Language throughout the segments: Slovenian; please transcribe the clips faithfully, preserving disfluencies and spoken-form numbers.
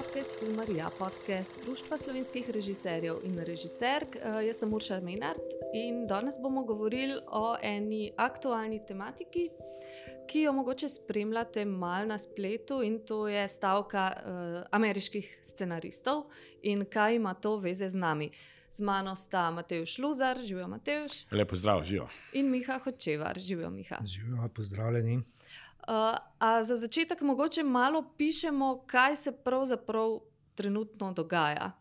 podcast Filmarija, podcast Društva slovenskih režiserjev in režiserk. Jaz sem Urša Menard in danes bomo govorili o eni aktualni tematiki, ki jo mogoče spremljate malo na spletu, in to je stavka uh, ameriških scenaristov in kaj ima to veze z nami. Z mano sta Matevž Luzar, živijo Matevž. Lepo zdrav, živijo. In Miha Hočevar, živijo Miha. Živijo, pozdravljeni. Uh, a za začetek mogoče malo pišemo, kaj se pravzaprav trenutno dogaja.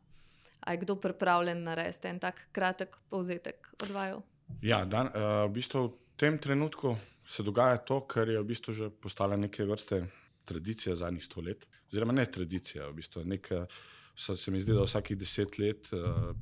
A je kdo pripravljen narediti en tak kratek povzetek od vaju? Ja, dan, uh, v bistvu v tem trenutku se dogaja to, kar je v bistvu že postala neke vrste tradicija zadnjih sto let. Oziroma ne tradicija, v bistvu neka, se mi zdi, da vsakih deset let,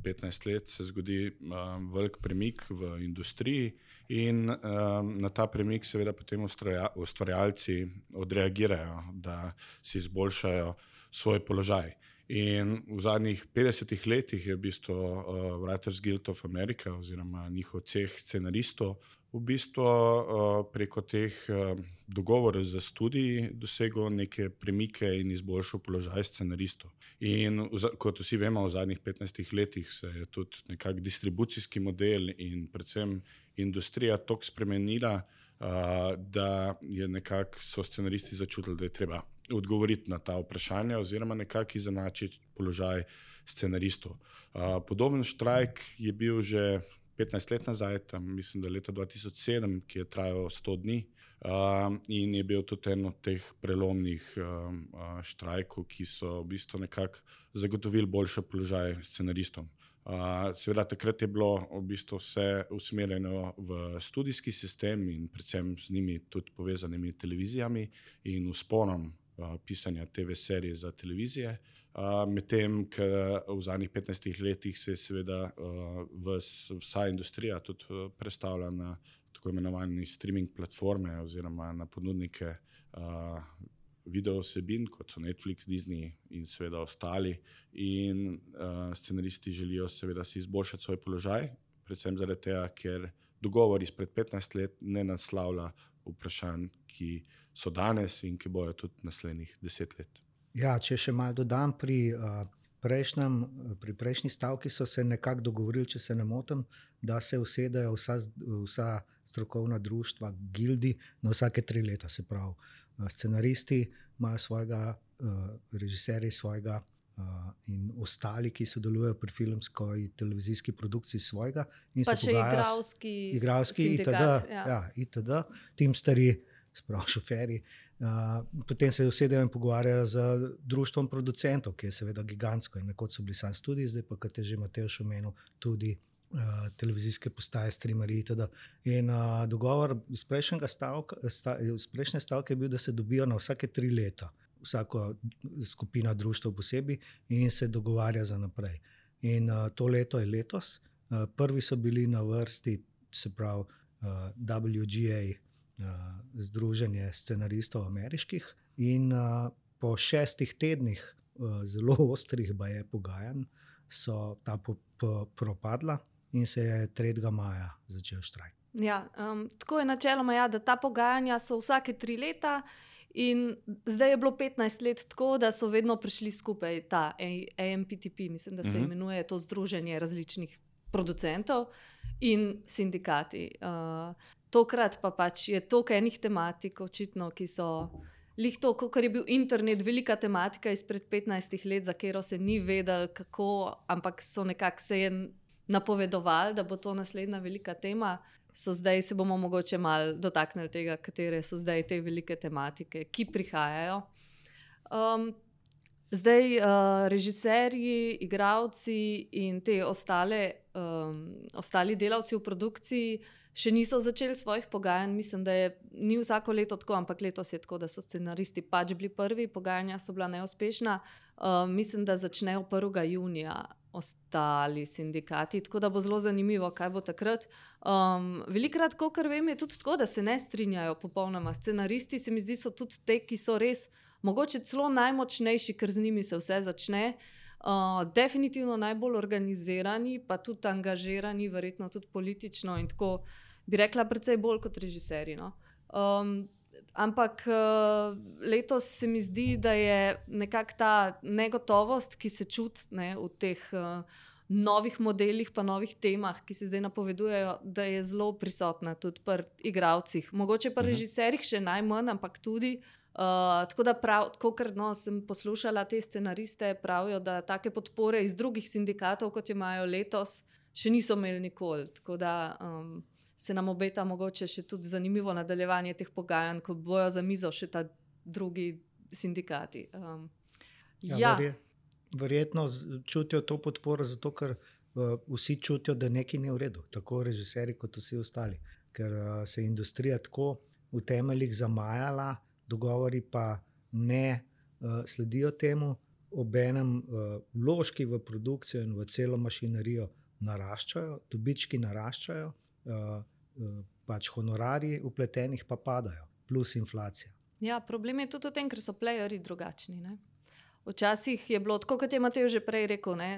petnajst let se zgodi um, velik premik v industriji in um, na ta premik seveda potem ustvarja, ustvarjalci odreagirajo, da si izboljšajo svoj položaj. In v zadnjih petdesetih letih je v bistvu uh, Writers Guild of America oziroma njihov ceh scenaristov v bistvu uh, preko teh uh, dogovorov za študij dosegel neke premike in izboljšal položaj scenaristov. In kot vsi vemo, v zadnjih petnajstih letih se je tudi nekak distribucijski model in predvsem industrija toliko spremenila, uh, da je nekako so scenaristi začutili, da je treba odgovoriti na ta vprašanja oziroma nekako izenačiti položaj scenaristov. Uh, podoben štrajk je bil že petnajst let nazaj, tam mislim, da leta dva tisoč sedem, ki je trajal sto dni uh, in je bil tudi en od teh prelomnih uh, štrajkov, ki so v bistvu nekako zagotovili boljši položaj scenaristom. Uh, seveda takrat je bilo v bistvu vse usmerjeno v študijski sistem in predvsem z njimi tudi povezanimi televizijami in vzponom uh, pisanja te ve serije za televizije. Uh, medtem, ker v zadnjih petnajstih letih se je seveda uh, vs, vsa industrija tudi uh, prestavila na tako imenovane streaming platforme oziroma na ponudnike uh, video vsebin, kot so Netflix, Disney in seveda ostali. In uh, scenaristi želijo seveda si izboljšati svoj položaj, predvsem zaradi tega, ker dogovor izpred petnajst let ne naslavlja vprašanj, ki so danes in ki bojo tudi naslednjih deset let. Ja, če še malo dodam, pri, uh, prejšnjem, pri prejšnji stavki so se nekako dogovorili, če se ne motim, da se usedejo vsa, vsa strokovna društva, gildi na vsake tri leta, se pravi. Scenaristi imajo svojega, uh, režiserji svojega uh, in ostali, ki sodelujejo pri filmsko in televizijski produkciji svojega. In pa se še igralski, igralski sindikat. itd. Ja. Ja, itd. Tim stari, sprav šoferji. Uh, potem se usedejo in pogovarjajo z društvom producentov, ki je seveda gigantsko in nekoč so bili sam studiji, zdaj pa, kot je že Matevž omenil, tudi uh, televizijske postaje, streamerji itd. In uh, dogovor iz prejšnjega stavka, sta, iz prejšnje stavke je bil, da se dobijo na vsake tri leta, vsako skupina društev posebej in se dogovarja za naprej. In uh, to leto je letos. Uh, prvi so bili na vrsti, se pravi uh, W G A, Uh, združenje scenaristov ameriških, in uh, po šestih tednih uh, zelo ostrih baje pogajanj so ta po, po, propadla in se je tretjega maja začel štrajk. Ja, um, tako je načeloma, ja, da ta pogajanja so vsake tri leta in zdaj je bilo petnajst let tako, da so vedno prišli skupaj ta A M P T P, mislim, da se Mhm. imenuje to združenje različnih producentov in sindikati. Uh, Tokrat pa pač je toliko enih tematik, očitno, ki so lih to, ker je bil internet velika tematika izpred petnajstih let, za katero se ni vedel kako, ampak so nekako se je napovedovali, da bo to naslednja velika tema. So zdaj se bomo mogoče malo dotaknili tega, katere so zdaj te velike tematike, ki prihajajo. Um, zdaj uh, režiserji, igralci in te ostale, um, ostali delavci v produkciji še niso začeli svojih pogajanj. Mislim, da je ni vsako leto tako, ampak letos je tako, da so scenaristi pač bili prvi, pogajanja so bila neuspešna. Uh, mislim, da začnejo prvega junija ostali sindikati, tako da bo zelo zanimivo, kaj bo takrat. Um, velikrat, kolikor vem, je tudi tako, da se ne strinjajo popolnoma. Scenaristi se mi zdi, so tudi te, ki so res mogoče celo najmočnejši, ker z njimi se vse začne. Uh, definitivno najbolj organizirani, pa tudi angažirani, verjetno tudi politično in tako bi rekla precej bolj kot režiserji. No? Um, ampak uh, letos se mi zdi, da je nekako ta negotovost, ki se čuti ne, v teh uh, novih modelih, pa novih temah, ki se zdaj napovedujejo, da je zelo prisotna tudi pri igralcih. Mogoče pa režiserjih še najmanj, ampak tudi. Uh, tako da, prav, tako ker no, sem poslušala te scenariste, pravijo, da take podpore iz drugih sindikatov, kot jo imajo letos, še niso imeli nikoli. Tako da um, se nam obeta mogoče še tudi zanimivo nadaljevanje teh pogajanj, ko bojo za mizo še ta drugi sindikati. Um, ja, ja. verje, verjetno čutijo to podporo, zato ker uh, vsi čutijo, da nekaj ni v redu, tako režiserji kot vsi ostali. Ker uh, se je industrija tako v temeljih zamajala, dogovori pa ne uh, sledijo temu, obenem uh, vložki v produkcijo in v celo mašinerijo naraščajo, dobički naraščajo, uh, uh, pač honorarji vpletenih pa padajo, plus inflacija. Ja, problem je tudi v tem, ker so playerji drugačni. Ne? Včasih je bilo tako, kot je Matej že prej rekel, ne?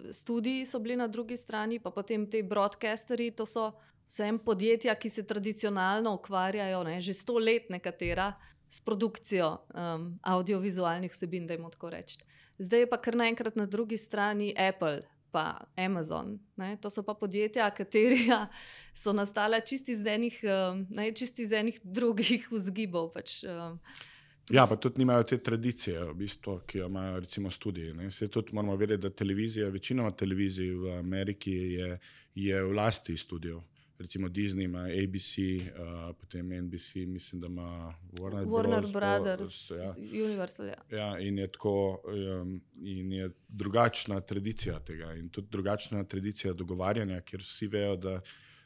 Studiji so bili na drugi strani, pa potem te broadcasterji, to so vsem podjetja, ki se tradicionalno ukvarjajo, ne? Že sto let nekatera, s produkcijo um, audiovizualnih vsebin, da jim tako reči. Zdaj je pa kar naenkrat na drugi strani Apple pa Amazon. Ne? To so pa podjetja, katerija so nastala čisti iz enih, um, ne, čisti iz enih drugih vzgibov. Pač, um, Ja, pa tudi nimajo te tradicije, v bistvu, ki jo imajo recimo studiji. Se tudi moramo vedeti, da televizija, večinoma televizij v Ameriki je, je v lasti studijev. Recimo Disney ima A B C, uh, potem N B C, mislim, da ima Warner, Warner Bros, Brothers, ja. Universal. Ja. Ja, in je tako, um, in je drugačna tradicija tega in tudi drugačna tradicija dogovarjanja, kjer vsi vejo, da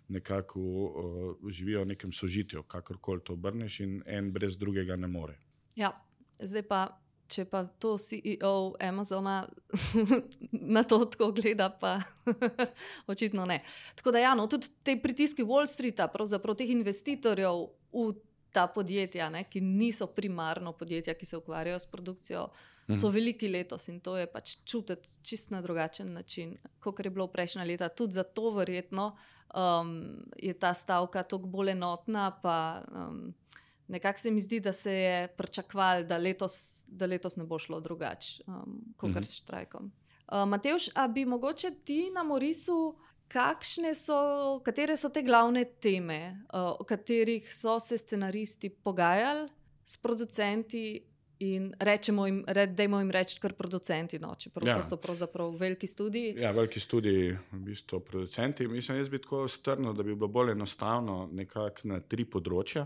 nekako uh, živijo v nekem sožitju, kakorkoli to obrneš in en brez drugega ne more. Ja, zdaj pa, če pa to C E O Amazona na to tako gleda, pa očitno ne. Tako da ja, no, tudi te pritiski Wall Streeta, pravzaprav teh investitorjev v ta podjetja, ne, ki niso primarno podjetja, ki se ukvarjajo s produkcijo, so veliki letos in to je pač čutiti čist na drugačen način, kot je bilo prejšnja leta. Tudi zato verjetno um, je ta stavka toliko bolj enotna, pa um, nekako se mi zdi, da se je pričakovalo, da letos, da letos ne bo šlo drugače, um, kot mm -hmm. s štrajkom. Uh, Matevž, a bi mogoče ti nam orisil, kakšne so, katere so te glavne teme, uh, o katerih so se scenaristi pogajali s producenti in rečemo jim, re, dajmo jim reči kar producenti, no, čeprav ja. To so pravzaprav veliki studiji. Ja, veliki studiji, v bistvu producenti. Mislim, jaz bi tako strnil, da bi bilo bolj enostavno nekako na tri področja.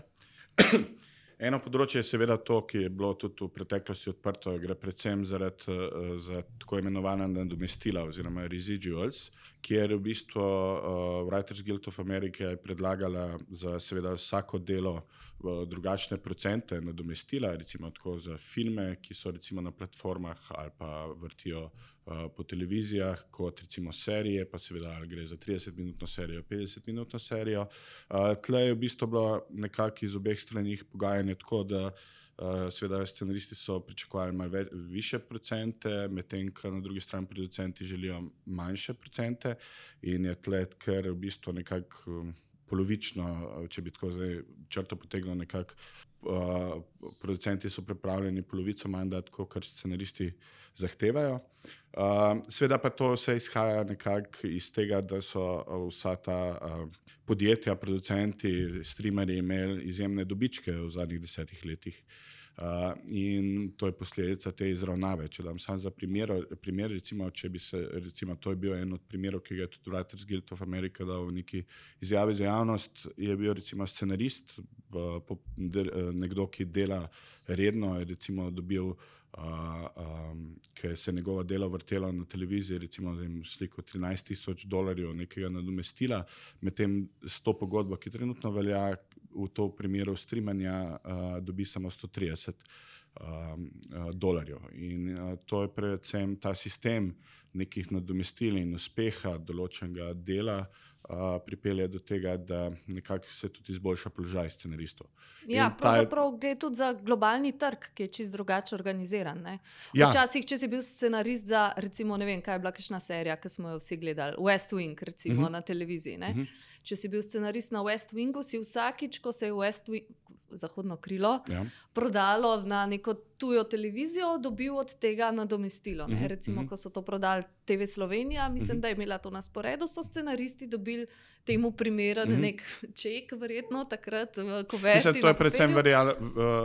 Eno področje je seveda to, ki je bilo tudi v preteklosti odprto, gre predvsem zaradi uh, za tako imenovana nadomestila oziroma residuals, kjer v bistvu uh, Writers Guild of America je predlagala za seveda vsako delo v drugačne procente nadomestila, recimo tako za filme, ki so recimo na platformah ali pa vrtijo uh, po televizijah, kot recimo serije, pa seveda ali gre za tridesetminutno serijo, petdesetminutno serijo. Uh, tle je v bistvu bilo nekako iz obeh stranih pogajanje tako, da uh, seveda scenaristi so pričakovali malo ve- više procente, medtem ko na drugi strani producenti želijo manjše procente in je tle ker v bistvu nekako um, polovično, če bi tako zdaj črto potegnil nekako, uh, producenti so pripravljeni polovico manj dati, kot scenaristi zahtevajo. Uh, seveda pa to vse izhaja nekako iz tega, da so vsa ta uh, podjetja, producenti, streamerji imeli izjemne dobičke v zadnjih desetih letih. Uh, in to je posledica te izravnave. Če dam samo za primer, primer recimo, če bi se, recimo, to je bil en od primerov, ki ga je tudi Writers Guild of America dal v neki izjavi za javnost, je bil recimo scenarist, uh, po, de, nekdo, ki dela redno, je recimo dobil, uh, um, ker se je njegovo delo vrtelo na televiziji, recimo da jim sliko trinajst tisoč dolarjev nekega nadomestila, medtem s to pogodbo, ki trenutno velja, v to primeru streamanja uh, dobi samo sto trideset um, uh, dolarjev. In uh, to je predvsem ta sistem nekih nadomestil in uspeha določenega dela uh, pripelje do tega, da nekako se tudi izboljša položaj scenaristov. Ja, pravzaprav gre tudi za globalni trg, ki je čisto drugače organiziran. Ne? Včasih, če si bil scenarist za, recimo, ne vem, kaj je bila kakšna serija, ki smo jo vsi gledali, West Wing, recimo, uh-huh. na televiziji. Ne? Uh-huh. Če si bil scenarist na West Wingu, si vsakič, ko se je West Wing, zahodno krilo, Ja. prodalo na neko tujo televizijo, dobil od tega nadomestilo. Ne? Mhm, Recimo, mhm. ko so to prodali T V Slovenija, mislim, Mhm. da je imela to na sporedu, so scenaristi dobili temu primeren Mhm. nek ček, verjetno takrat v Mislim, kuverti to na je predvsem papirju. veljalo,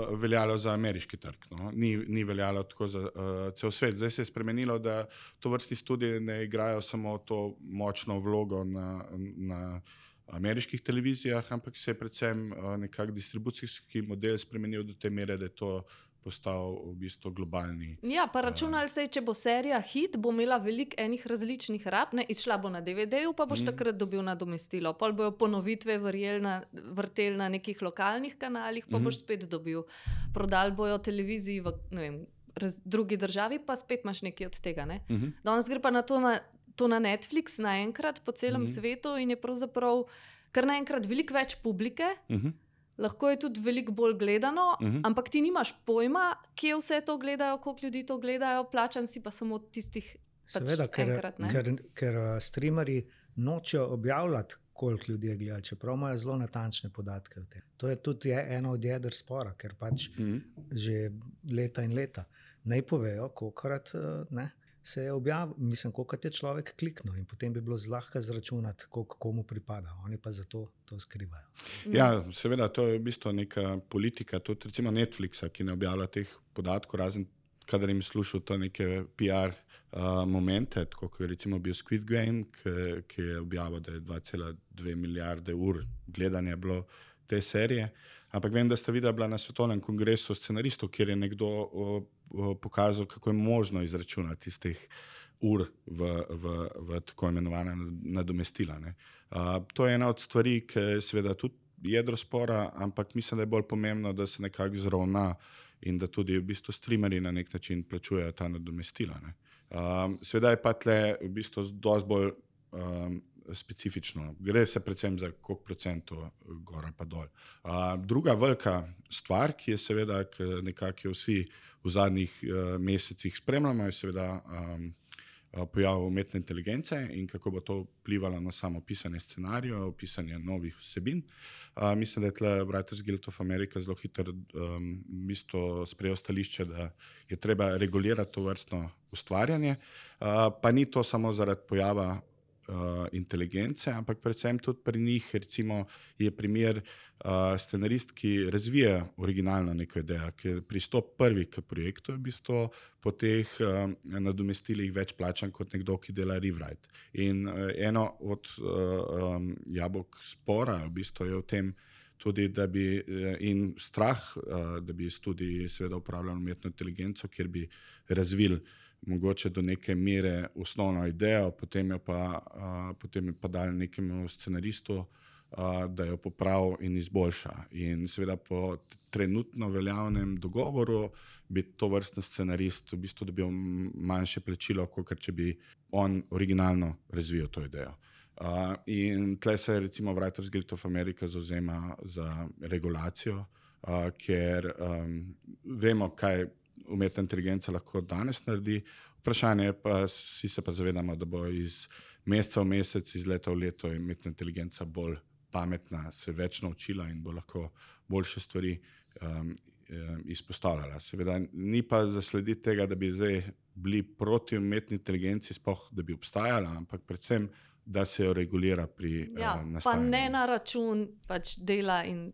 uh, veljalo za ameriški trg, no? ni, ni veljalo tako za uh, cel svet. Zdaj se je spremenilo, da to vrsti studiji ne igrajo samo to močno vlogo na, na ameriških televizijah, ampak se je predvsem uh, nekak distribucijski model spremenil do te mere, da je to postal v bistvu globalni. Ja, pa računali se je, če bo serija hit, bo imela veliko enih različnih rab, ne, izšla bo na D V D-ju, pa boš Mhm. mm. takrat dobil nadomestilo. Pol bojo ponovitve verjel na, vrtel na nekih lokalnih kanalih, pa Mhm. mm. boš spet dobil. Prodali bojo televiziji v ne vem, raz, drugi državi, pa spet imaš nekaj od tega. Ne. Mhm. Danes gre pa na to na, to na Netflix naenkrat po celem Mhm. mm. svetu in je pravzaprav kar naenkrat veliko več publike. Mhm. Lahko je tudi veliko bolj gledano, uh Mhm. -huh. ampak ti nimaš pojma, kje vse to gledajo, koliko ljudi to gledajo, plačan si pa samo tistih pač Seveda, ker, enkrat. Ne? ker, ker uh, streamerji nočejo objavljati, koliko ljudi je gledalo, čeprav imajo zelo natančne podatke o tem. To je tudi je eno od jeder spora, ker pač Mhm. že leta in leta naj povejo, kolikrat uh, ne, se je objavil, mislim, koliko je človek kliknil in potem bi bilo zlahka zračunati, koliko komu pripada. Oni pa zato to skrivajo. Ja, seveda, to je v bistvu neka politika, tudi recimo Netflixa, ki ne objavlja teh podatkov, razen kadar jim slušal to neke P R uh, momente, tako kot je recimo bil Squid Game, ki, ki je objavil, da je dva cela dve milijarde ur gledanja bilo te serije. Ampak vem, da sta videla bila na svetovnem kongresu scenaristov, kjer je nekdo o, o, pokazal, kako je možno izračunati iz teh ur v, v, v tako imenovane nadomestila. Ne. Uh, to je ena od stvari, ki je seveda tudi jedro spora, ampak mislim, da je bolj pomembno, da se nekako zravna in da tudi v bistvu streamerji na nek način plačujejo ta nadomestila. Ne. Um, seveda je pa tle v bistvu dosti bolj um, specifično. Gre se predvsem za koliko procentov gor pa dol. Uh, druga velika stvar, ki je seveda, ki nekako vsi v zadnjih uh, mesecih spremljamo, je seveda um, pojav umetne inteligence in kako bo to vplivalo na samo pisanje scenarijev, pisanje novih vsebin. Uh, mislim, da je tle Writers Guild of America zelo hitro um, bistvo sprejel stališče, da je treba regulirati to vrstno ustvarjanje, uh, pa ni to samo zaradi pojava Uh, inteligence, ampak predvsem tudi pri njih, recimo, je primer uh, scenarist, ki razvija originalno neko idejo, ki pristop prvi k projektu, je v bistvu po teh uh, nadomestilih več plačan kot nekdo, ki dela rewrite. In uh, eno od uh, um, jabolk spora v bistvu je v tem tudi, da bi uh, in strah, uh, da bi študiji seveda uporabljali umetno inteligenco, kjer bi razvili mogoče do neke mere osnovno idejo, potem jo pa, uh, potem jo pa dali nekemu scenaristu, uh, da jo popravi in izboljša. In seveda po trenutno veljavnem dogovoru bi to vrstni scenarist v bistvu dobil manjše plačilo, kot če bi on originalno razvijal to idejo. Uh, in tle se recimo Writers Guild of America zauzema za regulacijo, uh, ker um, vemo, kaj umetna inteligenca lahko danes naredi. Vprašanje je pa, vsi se pa zavedamo, da bo iz meseca v mesec, iz leta v leto umetna inteligenca bolj pametna, se več naučila in bo lahko boljše stvari um, izpostavljala. Seveda ni pa zaslediti tega, da bi zdaj bili proti umetni inteligenci, sploh da bi obstajala, ampak predvsem, da se jo regulira pri ja, uh, nastajanju. Pa ne na račun pač dela in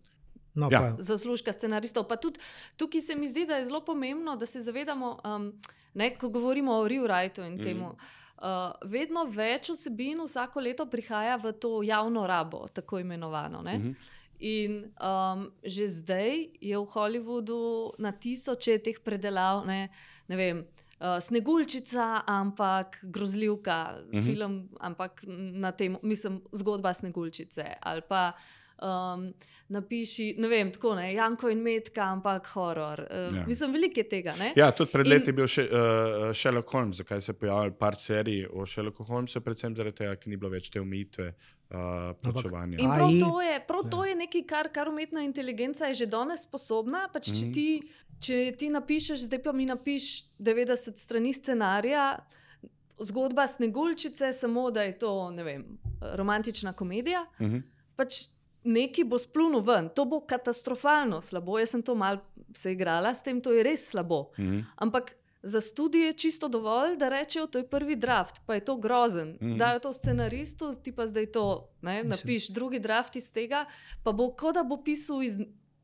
No, Ja. pa, zaslužka scenaristov. Pa tudi tukaj se mi zdi, da je zelo pomembno, da se zavedamo, um, ne, ko govorimo o rewriteu in Mhm. temu. Uh, vedno več vsebin vsako leto prihaja v to javno rabo, tako imenovano. Ne? Mhm. In um, že zdaj je v Hollywoodu na tisoče teh predelav, ne, ne vem, uh, Sneguljčica, ampak grozljivka, Mhm. film, ampak na tem, mislim, zgodba Sneguljčice ali pa Um, napiši, ne vem, tako ne, Janko in Metka, ampak horor. Uh, Ja. Mislim, veliko je tega. Ne? Ja, tudi pred In- leti je bil še, uh, Sherlock Holmes, zakaj se je pojavil par serij o Sherlocku Holmesu, predvsem zaradi tega, ker ni bilo več te omejitve uh, plačevanja. In prav A I, to je, prav to ja. je nekaj, kar, kar umetna inteligenca je že danes sposobna. Pač, če, Mhm. ti, če ti napišeš, zdaj pa mi napiš devetdeset strani scenarija, zgodba Sneguljčice, samo da je to, ne vem, romantična komedija. Uh -huh. Pač neki bo splunil ven, to bo katastrofalno slabo. Jaz sem to malo se igrala s tem, to je res slabo. Mhm. Ampak za studije je čisto dovolj, da rečejo, to je prvi draft, pa je to grozen. Mhm. Dajo to scenaristu, ti pa zdaj to, ne, napiš drugi draft iz tega, pa bo kot da bo pisal iz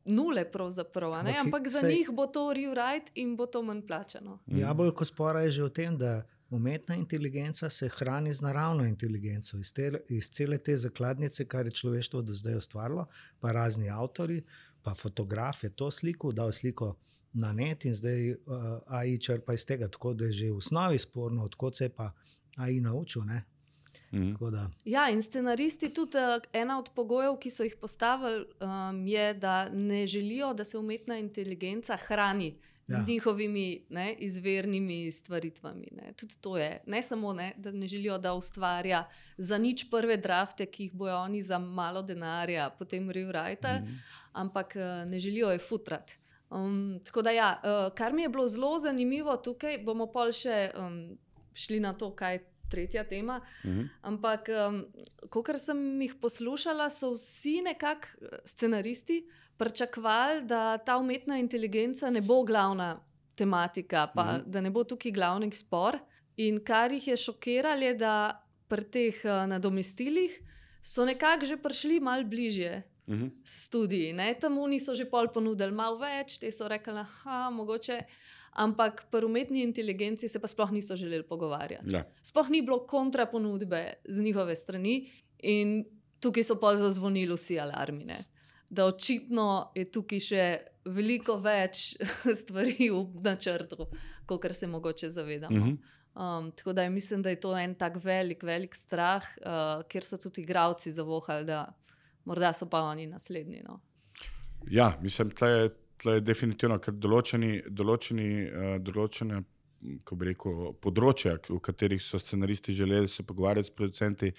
nule pravzaprav, a ne? Ampak Ampak za saj- njih bo to rewrite in bo to manj plačano. Jabolko spora je že v tem, da umetna inteligenca se hrani z naravno inteligenco, iz, te, iz cele te zakladnice, kar je človeštvo do zdaj ustvarilo, pa razni avtori, pa fotograf je to sliko, dal sliko na net in zdaj uh, A I črpa iz tega, tako da je že v osnovi sporno, odkot se je pa A I naučil. Ne? Mhm. Tako da, Ja, in scenaristi tudi uh, ena od pogojev, ki so jih postavili, um, je, da ne želijo, da se umetna inteligenca hrani Ja. z njihovimi ne, izvirnimi stvaritvami. Ne. Tudi to je. Ne samo, ne, da ne želijo, da ustvarja za nič prve drafte, ki jih bojo oni za malo denarja potem rewrite, Mhm. ampak uh, ne želijo je futrati. Um, tako da, ja, uh, kar mi je bilo zelo zanimivo tukaj, bomo pol še um, šli na to, kaj je tretja tema. Mhm. Ampak, um, kolikor sem jih poslušala, so vsi nekako scenaristi pričakovali, da ta umetna inteligenca ne bo glavna tematika, pa Mhm. da ne bo tukaj glavni spor. In kar jih je šokiralo, je, da pri teh uh, nadomestilih so nekako že prišli malo bližje Mhm. studiji. Ne? Tam oni so že pol ponudili malo več, te so rekli, da mogoče. Ampak pri umetni inteligenci se pa sploh niso želeli pogovarjati. Ja. Sploh ni bilo kontraponudbe z njihove strani, in tukaj so pol zazvonili vsi alarmi. Ne? Da očitno je tukaj še veliko več stvari v načrtu, kot se mogoče zavedamo. Mhm. Um, tako da je, mislim, da je to en tak velik, velik strah, uh, kjer so tudi igravci zavohali, da morda so pa oni naslednji. No. Ja, mislim, tle je, tle je definitivno, ker določeni, določeni, uh, določene ko bi rekel, področja, v katerih so scenaristi želeli se pogovarjati s producenti,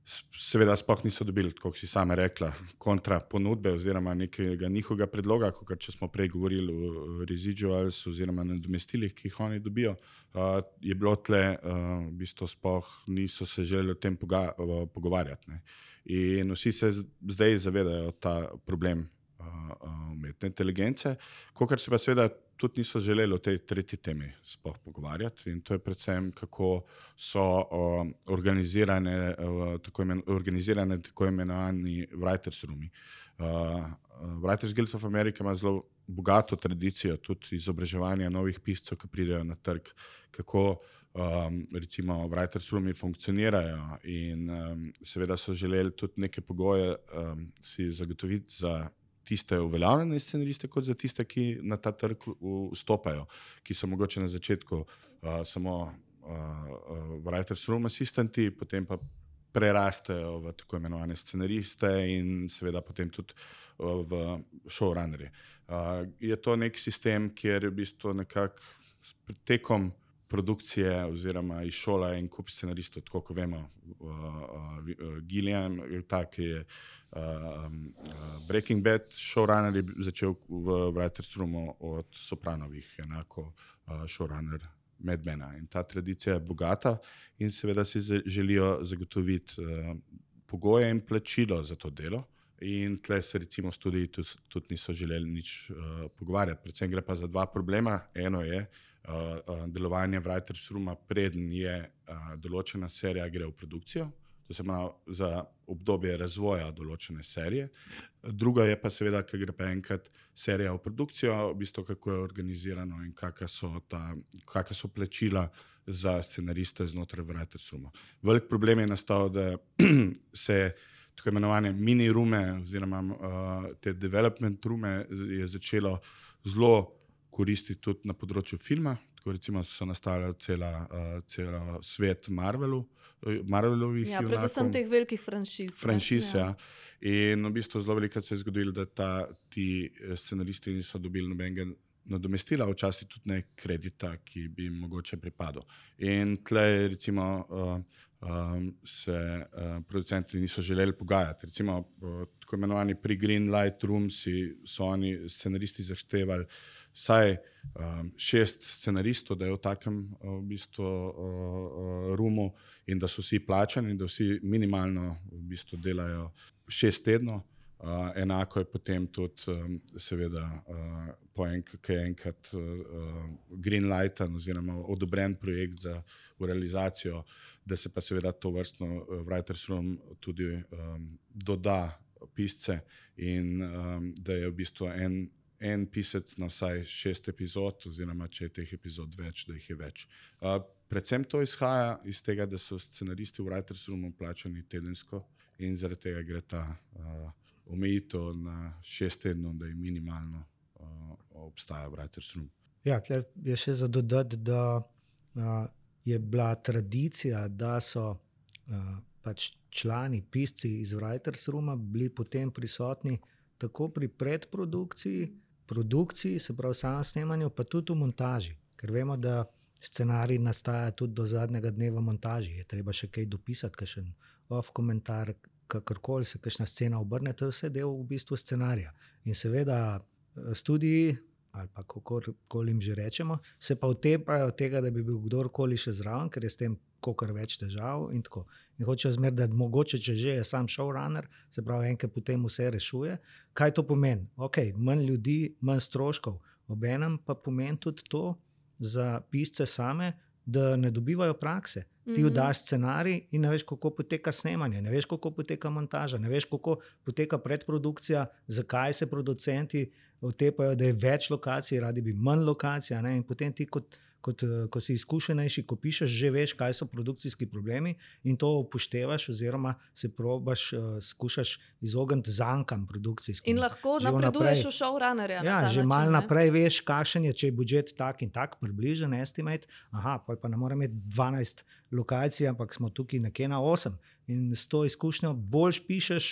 s- seveda sploh niso dobili, kot si sama rekla, kontra ponudbe oziroma nekega njihovega predloga, kot če smo prej govorili o residuals oziroma nadomestilih, ki jih oni dobijo, uh, je bilo tle, uh, v bistvu sploh niso se želeli o tem poga uh, pogovarjati. Ne. In vsi se z- zdaj zavedajo ta problem uh, uh, umetne inteligence, kokor se pa seveda tudi niso želeli o tej tretji temi sploh pogovarjati, in to je predvsem, kako so uh, organizirane, uh, tako imen, organizirane tako imenovani writers roomi. Uh, uh, Writers Guild of America ima zelo bogato tradicijo tudi izobraževanja novih piscev, ki pridejo na trg, kako um, recimo writers roomi funkcionirajo, in um, seveda so želeli tudi neke pogoje um, si zagotoviti za tiste uveljavljene scenariste, kot za tiste, ki na ta trg v- vstopajo, ki so mogoče na začetku uh, samo uh, uh, writers room assistenti, potem pa prerastejo v tako imenovane scenariste in seveda potem tudi uh, v showrunnerje. Uh, je to nek sistem, kjer je v bistvu nekako s tekom produkcije oziroma iz šola en kup scenaristov, tako kot vemo, uh, uh, Gillian, ta, ki je uh, uh, Breaking Bad showrunner, je začel v writers roomu od Sopranovih, enako uh, showrunner Mad Mena. In ta tradicija je bogata in seveda si z- želijo zagotoviti uh, pogoje in plačilo za to delo. In tle se recimo študiji tudi, tudi niso želeli nič uh, pogovarjati. Predvsem gre pa za dva problema. Eno je uh, uh, delovanje writers rooma, preden je uh, določena serija gre v produkcijo, to se ima za obdobje razvoja določene serije. Druga je pa seveda, ker gre pa enkrat serija v produkcijo, v bistvu kako je organizirano in kakšna so, ta, kakšna so plačila za scenariste znotraj writers rooma. Velik problem je nastal, da se tako imenovane mini rume oziroma uh, te development rume je začelo zelo koristiti tudi na področju filma. Tako recimo so nastala cela, uh, cela svet Marvelu, Marvelovih Ja, predvsem teh velikih franšiz. ne. franšiz. Ja. In v bistvu zelo velikokrat se je zgodilo, da ta, ti eh, scenaristi niso dobili nobenega nadomestila, včasih tudi ne kredita, ki bi jim mogoče pripadal. In tle recimo uh, um, se uh, producenti niso želeli pogajati. Recimo uh, tako imenovani pri Green Light Room si so oni scenaristi zahtevali vsaj um, šest scenaristov, da je v takem uh, v bistvu uh, uh, roomu in da so vsi plačani, da vsi minimalno v bistvu delajo šest tednov. Uh, enako je potem tudi, um, seveda, uh, po enkrat, ki je enkrat uh, greenlighten oziroma odobren projekt za realizacijo, da se pa seveda to vrstno uh, writers room tudi um, doda pisce in um, da je v bistvu en, en pisec na vsaj šest epizod, oziroma če je teh epizod več, da jih je več. Uh, predvsem to izhaja iz tega, da so scenaristi v writers roomu plačani tedensko in zaradi tega gre ta uh, omejitev na šest tednov, da je minimalno uh, obstaja writers room. Ja, tle je še za dodati, da uh, je bila tradicija, da so uh, pač člani, pisci iz writers rooma bili potem prisotni tako pri predprodukciji, produkciji, se pravi samem snemanju, pa tudi v montaži, ker vemo, da scenarij nastaja tudi do zadnjega dneva montaži, je treba še kaj dopisati, kakšen off komentar, kakorkoli se kakšna scena obrne, to je vse del v bistvu scenarija. In seveda studiji, ali pa kakorkoli jim že rečemo, se pa otepajo tega, da bi bil kdorkoli še zraven, ker je s tem kolikor več težav in tako. In hočejo zmer, da mogoče, če že je sam showrunner, se pravi enkrat potem vse rešuje. Kaj to pomeni? Ok, manj ljudi, manj stroškov, obenem pa pomeni tudi to za pisce same, da ne dobivajo prakse. Ti vdaš scenarij in ne veš, kako poteka snemanje, ne veš, kako poteka montaža, ne veš, kako poteka predprodukcija, zakaj se producenti otepajo, da je več lokacij, radi bi manj lokacij, ne? In potem ti, kot, kot, ko si izkušenejši, ko pišeš, že veš, kaj so produkcijski problemi in to upoštevaš oziroma se probaš, uh, skušaš izogniti zankam produkcijskim. In lahko napreduješ v showrunnerja. Ja, na že način, malo ne? naprej veš, kakšen je, če je budžet tak in tak, približen estimate, aha, pa ne morem imeti dvanajst lokacij, ampak smo tukaj nekje na osem. In s to izkušnjo boljš pišeš,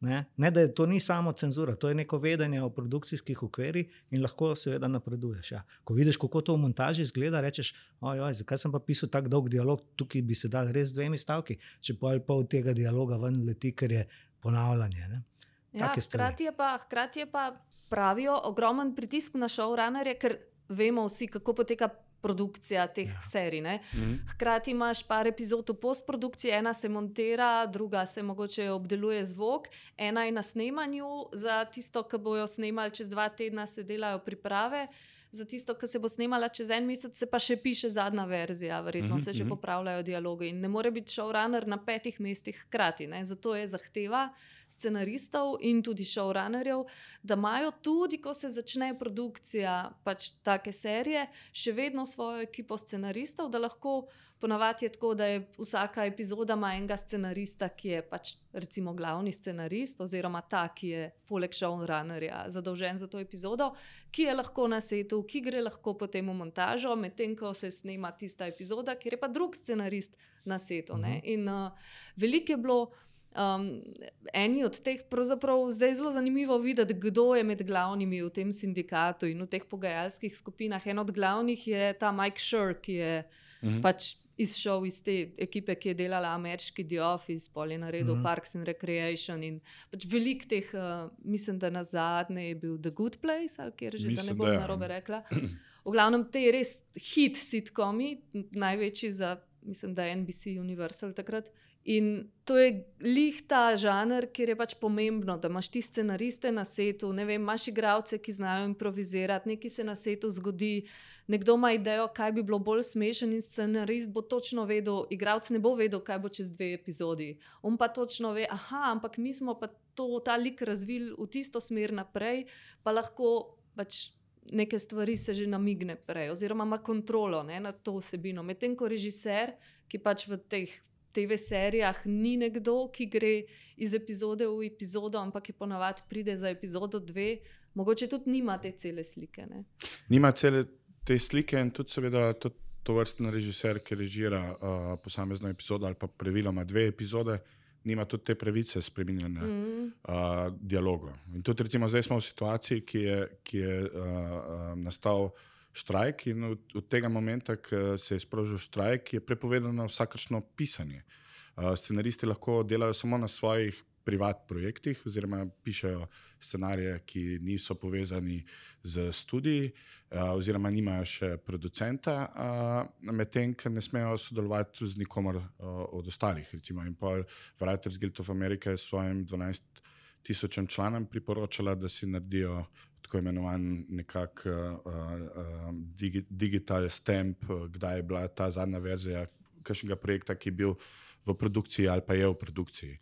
ne, ne da je to ni samo cenzura, to je neko vedenje o produkcijskih okvirih in lahko seveda napreduješ. Ja. Ko vidiš, kako to v montaži izgleda, rečeš, ojoj, zakaj sem pa pisal tak dolg dialog, tukaj bi se dal res dvemi stavki, če pol pol tega dialoga ven leti, ker je ponavljanje. Ne. Ja, hkrati je pa, hkrati je pa pravijo ogromen pritisk na showrunnerje, ker vemo vsi, kako poteka produkcija teh ja. serij. Ne? Mm-hmm. Hkrati imaš par epizod v postprodukciji, ena se montira, druga se mogoče obdeluje zvok, ena je na snemanju, za tisto, ki bojo snemali čez dva tedna, se delajo priprave, za tisto, ki se bo snemala čez en mesec, se pa še piše zadnja verzija, verjetno mm-hmm. se že popravljajo dialogi in ne more biti showrunner na petih mestih hkrati. Ne? Zato je zahteva scenaristov in tudi showrunnerjev, da imajo tudi, ko se začne produkcija pač take serije, še vedno svojo ekipo scenaristov, da lahko ponavadi je tako, da je vsaka epizoda ima enega scenarista, ki je pač recimo glavni scenarist oziroma ta, ki je poleg showrunnerja zadolžen za to epizodo, ki je lahko na setu, ki gre lahko potem v montažo, medtem ko se snema tista epizoda, kjer je pa drug scenarist na setu. Uh-huh. Ne? In uh, veliko je bilo Um, eni od teh, pravzaprav zdaj je zelo zanimivo videti, kdo je med glavnimi v tem sindikatu in v teh pogajalskih skupinah. En od glavnih je ta Mike Schur, ki je uh-huh. pač izšel iz te ekipe, ki je delala ameriški The Office, pol je naredil uh-huh. Parks and Recreation in pač velik teh, uh, mislim, da na zadnje je bil The Good Place, ali kjer že, mislim, da ne bom narobe rekla. V glavnem te res hit sitcomi, največji za, mislim, da N B C Universal takrat. In to je lih ta žanr, kjer je pač pomembno, da imaš ti scenariste na setu, ne vem, imaš igralce, ki znajo improvizirati, nekaj se na setu zgodi, nekdo ima idejo, kaj bi bilo bolj smešen in scenarist bo točno vedel, igralec ne bo vedel, kaj bo čez dve epizodi. On pa točno ve, aha, ampak mi smo pa to, ta lik razvili v tisto smer naprej, pa lahko pač neke stvari se že namigne prej, oziroma ima kontrolo, ne, nad to vsebino. Medtem ko režiser, ki pač v teh T V serijah ni nekdo, ki gre iz epizode v epizodo, ampak je ponavadi pride za epizodo dve, mogoče tudi nima te cele slike. Ne? Nima cele te slike in tudi seveda tudi to vrstni režiser, ki režira uh, posamezno epizodo ali pa praviloma dve epizode, nima tudi te pravice spreminjanja mm. uh, dialoga. In tudi recimo zdaj smo v situaciji, ki je, ki je uh, uh, nastal štrajk in od, od tega momenta, ko se je sprožil štrajk, je prepovedano vsakršno pisanje. Uh, scenaristi lahko delajo samo na svojih privat projektih, oziroma pišejo scenarije, ki niso povezani z studiji, uh, oziroma nimajo še producenta, uh, medtem, ker ne smejo sodelovati z nikomer uh, od ostalih. Recimo, in pol Writers Guild of America je svojim dvanajst tisočem članom priporočala, da si naredijo tako imenovan nekak uh, uh, digi, digital stamp, uh, kdaj je bila ta zadnja verzija kakšnega projekta, ki je bil v produkciji ali pa je v produkciji.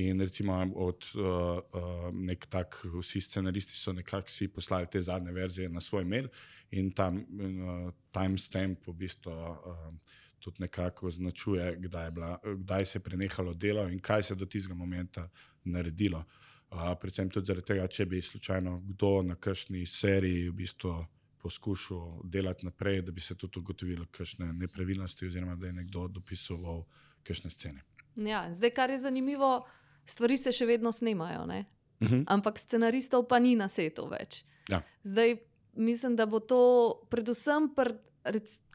In recimo od uh, uh, nek tak, vsi scenaristi so nekako si poslali te zadnje verzije na svoj mail in tam uh, timestamp v bistvu uh, tudi nekako označuje, kdaj, je bila, kdaj se je prenehalo delo in kaj se do tistega momenta naredilo. Uh, predvsem tudi zaradi tega, če bi slučajno kdo na kakšni seriji v bistvu poskušal delati naprej, da bi se tudi ugotovilo kakšne nepravilnosti oziroma da je nekdo dopisoval kakšne scene. Ja, zdaj, kar je zanimivo, stvari se še vedno snemajo, ne? Uh-huh. Ampak scenaristov pa ni na setu več. Ja. Zdaj, mislim, da bo to predvsem pri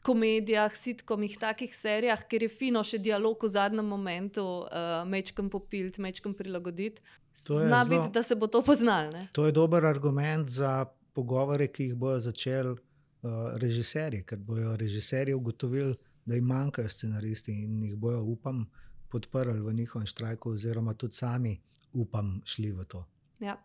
komedijah, sitcomih, takih serijah, kjer je fino še dialog v zadnjem momentu, uh, mečkem popilt, mečkem prilagoditi. Zna zelo... biti, da se bo to poznalo, ne? To je dober argument za pogovore, ki jih bojo začeli uh, režiserji, ker bojo režiserji ugotovili, da jim manjkajo scenaristi in jih bojo, upam, podprli v njihovem štrajku oziroma tudi sami, upam, šli v to. Ja.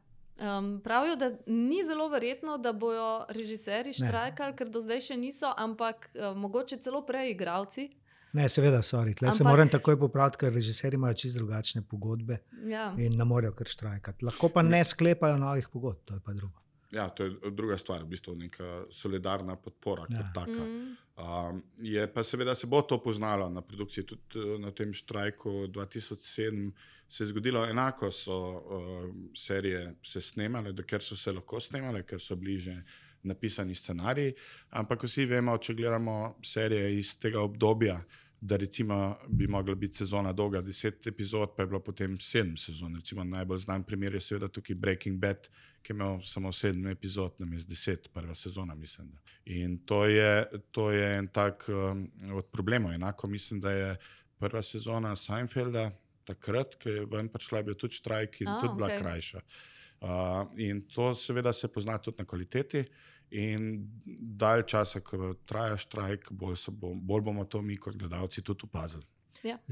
Um, pravijo, da ni zelo verjetno, da bojo režiserji štrajkali, ker do zdaj še niso, ampak uh, mogoče celo prej igralci. Ne, seveda, sorry. Tle Ampak... se moram takoj popraviti, ker režiserji imajo čisto drugačne pogodbe Ja. in ne morejo kar štrajkati. Lahko pa ne sklepajo novih pogodb, to je pa drugo. Ja, to je druga stvar, v bistvu neka solidarna podpora kot Ja. taka. Mm. Um, je pa seveda se bo to poznalo na produkciji, tudi uh, na tem štrajku dva tisoč sedem se je zgodilo enako, so uh, serije se snemale, dokler so se lahko snemale, ker so bliže napisani scenariji, ampak vsi vemo, če gledamo serije iz tega obdobja, da recimo bi mogla biti sezona dolga deset epizod, pa je bilo potem sedem sezon. Recimo najbolj znan primer je seveda tukaj Breaking Bad, ki je imel samo sedem epizod, namesto deset, prva sezona, mislim. Da. In to je, to je en tak um, od problemov. Enako mislim, da je prva sezona Seinfelda, takrat, ko je ven prišla, je bil tudi štrajk in A, tudi bila okej. krajša. Uh, in to seveda se pozna tudi na kvaliteti. In dalj časa, ko traja štrajk, bolj, bo, bolj bomo to mi kot gledalci tudi opazili.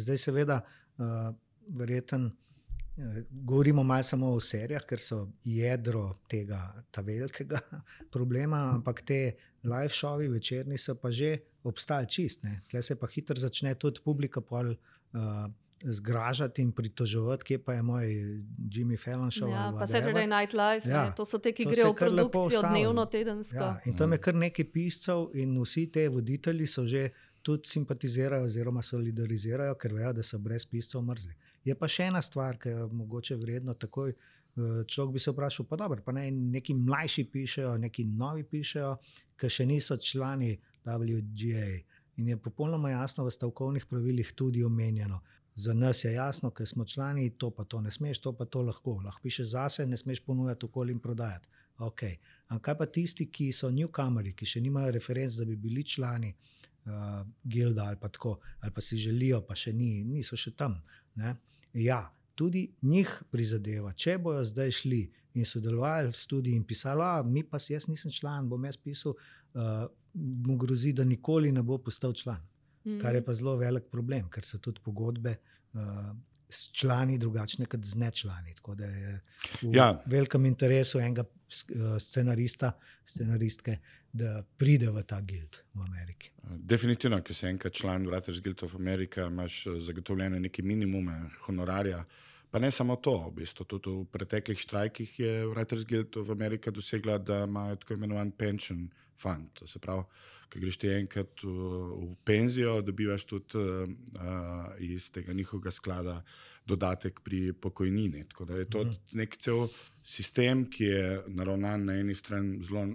Zdaj seveda, uh, verjeten, uh, govorimo malo samo o serijah, ker so jedro tega ta velikega problema, ampak te live šovi večerni so pa že obstajali čist. Ne? Tle se pa hitro začne tudi publika pol uh, zgražati in pritoževati, kje pa je moj Jimmy Fallon show. Ja, ali pa whatever. Saturday Night Live, Ja, ne, to so te, ki to grejo se v kar lepo produkcijo ustavi. dnevno, tedensko. Ja, in tam je kar nekaj piscev in vsi te voditelji so že tudi simpatizirajo oziroma solidarizirajo, ker vejo, da so brez piscev mrzli. Je pa še ena stvar, ki je mogoče vredno takoj, človek bi se vprašal, pa dobro, pa ne, neki mlajši pišejo, neki novi pišejo, ki še niso člani W G A. In je popolnoma jasno v stavkovnih pravilih tudi omenjeno. Za nas je jasno, ker smo člani, to pa to ne smeš, to pa to lahko. Lahko pišeš zase, ne smeš ponujati okolje in prodajati. Okay. Ampak kaj pa tisti, ki so newcomeri, ki še nimajo referenc, da bi bili člani uh, gilda ali pa tako, ali pa si želijo, pa še ni, niso še tam. Ne? Ja, tudi njih prizadeva, če bojo zdaj šli in sodelovali s študiji in pisali, a mi pa si, jaz nisem član, bom jaz pisal, uh, mu grozi, da nikoli ne bo postal član. Mm. Kar je pa zelo velik problem, ker so tudi pogodbe uh, s člani drugačne kot z nečlani. Tako da je v Ja. velikem interesu enega uh, scenarista, scenaristke, da pride v ta gild v Ameriki. Definitivno, ker si enkrat član Writers Guild of America, imaš zagotovljene neke minimume honorarja. Pa ne samo to, v bistvu tudi v preteklih štrajkih je Writers Guild of America dosegla, da imajo tako imenovan pension fund. To se pravi, ko greš ti enkrat v, v penzijo, dobivaš tudi uh, iz tega njihovega sklada dodatek pri pokojnini. Tako da je to mm. nek cel sistem, ki je naravnan na eni strani zelo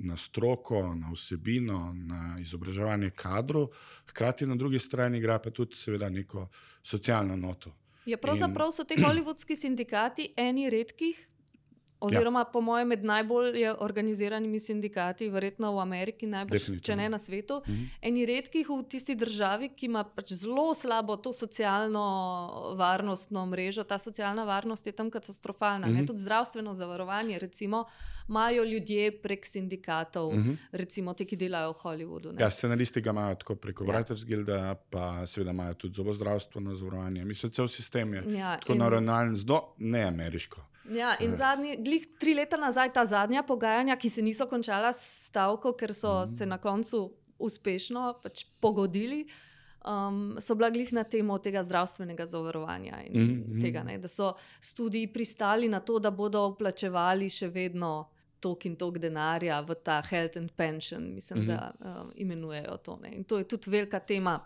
na stroko, na vsebino, na izobraževanje kadrov, hkrati na drugi strani igra pa tudi seveda neko socialno noto. Ja, pravzaprav so te hollywoodski sindikati eni redkih oziroma ja. po mojem med najbolj organiziranimi sindikati, verjetno v Ameriki, najbolj, če ne na svetu. Mm-hmm. Eni redkih v tisti državi, ki ima pač zelo slabo to socialno varnostno mrežo, ta socialna varnost je tam katastrofalna. Mm-hmm. Tudi zdravstveno zavarovanje, recimo, imajo ljudje prek sindikatov, mm-hmm. recimo ti, ki delajo v Hollywoodu. Ne? Ja, scenaristi ga imajo tako preko ja. Writers Guilda, pa seveda imajo tudi zobozdravstveno zavarovanje. Mislim, cel sistem je ja, tako in... naravnan, zelo neameriško. Ja, in zadnji, glih tri leta nazaj, ta zadnja pogajanja, ki se niso končala s stavko, ker so mm. se na koncu uspešno pač pogodili, um, so bila glih na temo tega zdravstvenega zavarovanja in mm. tega, ne, da so studiji pristali na to, da bodo vplačevali še vedno tok in tok denarja v ta health and pension, mislim, mm. da um, imenujejo to. Ne. In to je tudi velika tema,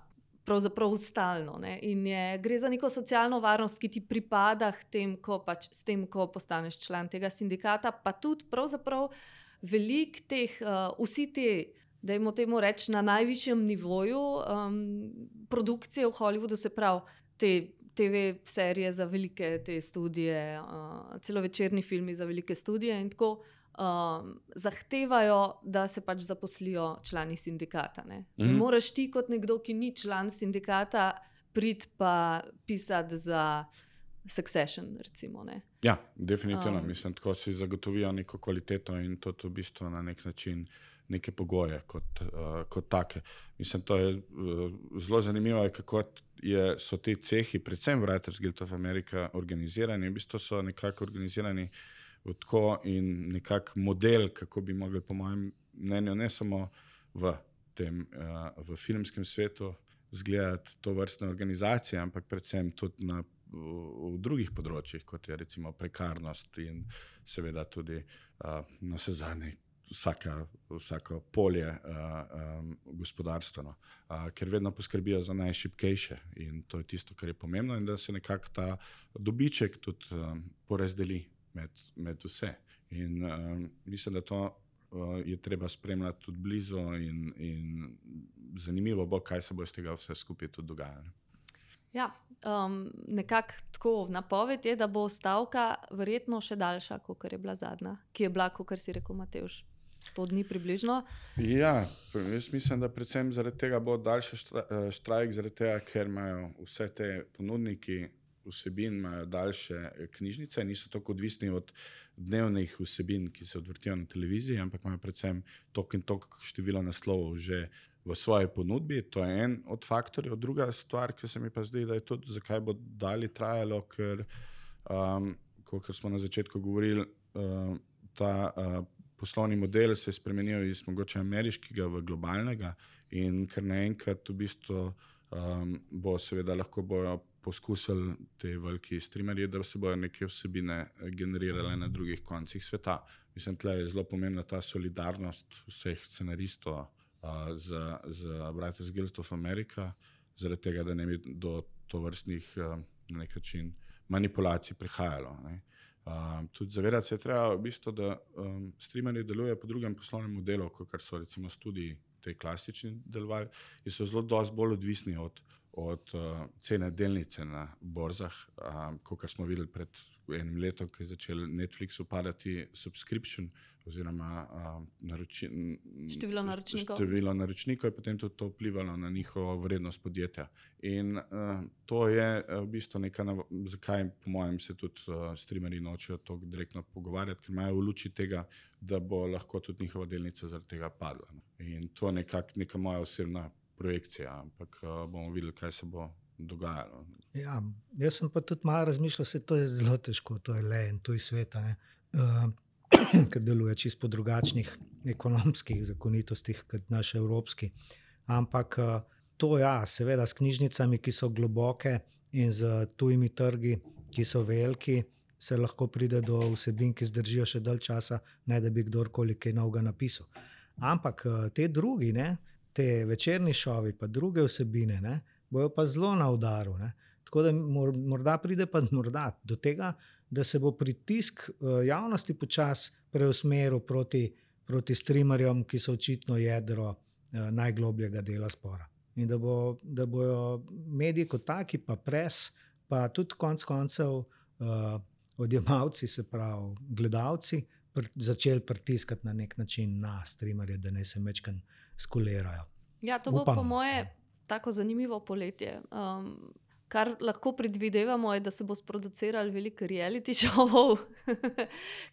pravzaprav stalno. Ne? In je, gre za neko socialno varnost, ki ti pripada tem, ko pač, s tem, ko postaneš član tega sindikata, pa tudi pravzaprav velik teh, uh, vsi te, dajmo temu reči, na najvišjem nivoju um, produkcije v Hollywoodu, se pravi te te ve serije za velike te studije, uh, celovečerni filmi za velike studije in tako, Um, zahtevajo, da se pač zaposlijo člani sindikata. Ne, mm-hmm. ne moreš ti kot nekdo, ki ni član sindikata, priti pa pisati za Succession, recimo. Ne. Ja, definitivno. Um, Mislim, tako si zagotovijo neko kvaliteto in to v bistvu na nek način neke pogoje kot, uh, kot take. Mislim, to je uh, zelo zanimivo, kako je, so ti cehi, predvsem Writers Guild of America, organizirani. V bistvu so nekako organizirani tako in nekak model, kako bi mogli, po mojem mnenju, ne samo v tem uh, v filmskem svetu zgledati to vrstne organizacije, ampak predvsem tudi na, v, v drugih področjih, kot je recimo prekarnost in seveda tudi uh, na vse zadnje vsaka, vsako polje uh, um, gospodarstveno, uh, ker vedno poskrbijo za najšibkejše in to je tisto, kar je pomembno in da se nekako ta dobiček tudi um, porazdeli Med, med vse. In um, mislim, da to uh, je treba spremljati tudi blizu in, in zanimivo bo, kaj se bo iz tega vse skupaj tudi dogajalo. Ja, um, nekako tako napoved je, da bo stavka verjetno še daljša, kot je bila zadnja, ki je bila, kot si rekel, Matevž, sto dni približno. Ja, jaz mislim, da predvsem zaradi tega bo daljši štrajk, zaradi tega, ker imajo vse te ponudniki vsebin, imajo daljše knjižnice, niso tako odvisni od dnevnih vsebin, ki se odvrtijo na televiziji, ampak imajo predvsem tok in tok število naslovov že v svoji ponudbi. To je en od faktorjev. Druga stvar, ki se mi pa zdi, da je tudi, zakaj bo dalje trajalo, ker, um, kot smo na začetku govorili, uh, ta uh, poslovni model se je spremenil iz mogoče ameriškega v globalnega in ker naenkrat v bistvu um, bo seveda lahko bojo poskusili te veliki streamerji, da se bojo neke vsebine generirale na drugih koncih sveta. Mislim, tle je zelo pomembna ta solidarnost vseh scenaristov uh, z, z Writers Guild of America, zaradi tega, da ne bi do tovrstnih uh, na nek način manipulacij prihajalo. Ne. Uh, tudi zavedati se je treba, v bistvu, da um, streamerji delujejo po drugem poslovnem modelu, kot so recimo studiji te klasični delovali, in so zelo dosti bolj odvisni od od uh, cene delnice na borzah, um, kot smo videli pred enim letom, ko je začel Netflix upadati subscription oziroma um, naroči, število naročnikov. Število naročnikov je potem tudi to vplivalo na njihovo vrednost podjetja. In uh, to je uh, v bistvu nekaj, nav- zakaj po mojem se tudi uh, streamerji nočejo to direktno pogovarjati, ker imajo v luči tega, da bo lahko tudi njihova delnica zaradi tega padla. In to je nekak, neka moja osebna projekcija, ampak uh, bomo videli, kaj se bo dogajalo. Ja, jaz sem pa tudi malo razmišljal, se to je zelo težko, to je le en tuj sveta, ne, uh, ker deluje čisto po drugačnih ekonomskih zakonitostih kot naš evropski. Ampak uh, to ja, seveda s knjižnicami, ki so globoke in z tujimi trgi, ki so veliki, se lahko pride do vsebin, ki zdržijo še dalj časa, ne da bi kdorkoli kaj novega napisal. Ampak uh, te drugi, ne, te večerni šovi, pa druge vsebine, ne, bojo pa zelo na udaru. Ne. Tako da morda pride pa morda do tega, da se bo pritisk javnosti počas preusmeril proti, proti streamerjem, ki so očitno jedro eh, najglobljega dela spora. In da, bo, da bojo mediji kot taki, pa pres, pa tudi konc koncev eh, odjemalci, se pravi gledalci, pr začeli pritiskati na nek način na streamerje, da ne se mečkan skolerajo. Ja, to bo Upam. po moje tako zanimivo poletje. Um, kar lahko predvidevamo je, da se bo sproducirali veliko reality šovov,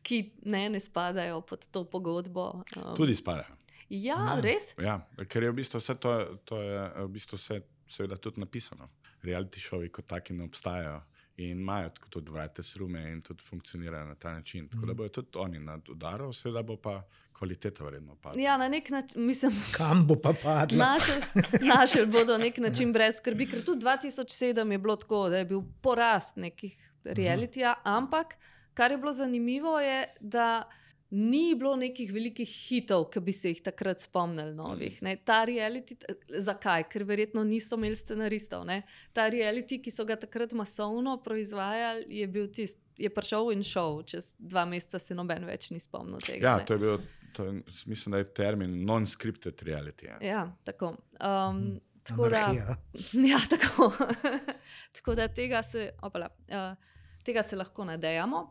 ki ne, ne spadajo pod to pogodbo. Um, Tudi spadajo. Ja, Ja. res? Ja, ker je v bistvu vse to, to je v bistvu vse seveda tudi napisano. Reality šovi kot taki ne obstajajo in imajo tako tudi writers roome in tudi funkcionirajo na ta način. Tako da bojo tudi oni nad udarom, seveda bo pa kvaliteta vredno padla. Ja, na nek način, mislim, Kam bo pa padla? našel, našel bodo nek način brez skrbi, ker tudi dva tisoč sedem je bilo tako, da je bil porast nekih realitija, ampak kar je bilo zanimivo je, da ni bilo nekih velikih hitov, ki bi se jih takrat spomnili novih. Ne. Ta reality, zakaj? Ker verjetno niso imeli scenaristov. Ne. Ta reality, ki so ga takrat masovno proizvajali, je bil tist, je prišel in šel. Čez dva meseca se noben več ni spomnil tega. Ja, ne. to je bil, to je, mislim, da je termin non-scripted reality. Ja. Ja, tako. Um, tako da, Anarhija. ja, tako. Tako da tega se, opala, uh, tega se lahko nadejamo.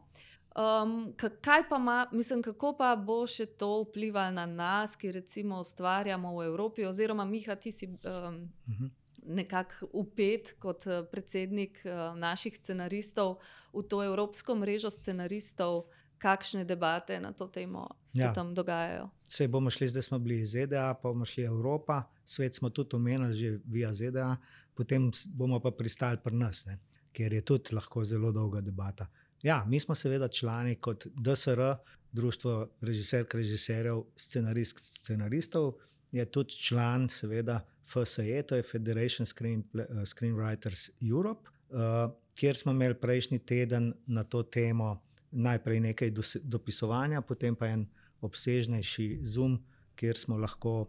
Um, kaj pa ima, mislim, kako pa bo še to vplivalo na nas, ki recimo ustvarjamo v Evropi, oziroma Miha, ti si um, Mhm. nekako vpet kot uh, predsednik uh, naših scenaristov v to evropsko mrežo scenaristov, kakšne debate na to temo se Ja. tam dogajajo. Sej bomo šli, zdaj smo bili iz Z D A, pa bomo šli Evropa, svet smo tudi omenili že via Z D A, potem s- bomo pa pristali pri nas, ne? Ker je tudi lahko zelo dolga debata. Ja, mi smo seveda člani kot D S R, Društvo režiserk, režiserjev, scenaristk, scenaristov, je tudi član seveda F S E, to je Federation Screen, uh, Screenwriters Europe, uh, kjer smo imeli prejšnji teden na to temo najprej nekaj dos- dopisovanja, potem pa en obsežnejši Zoom, kjer smo lahko uh,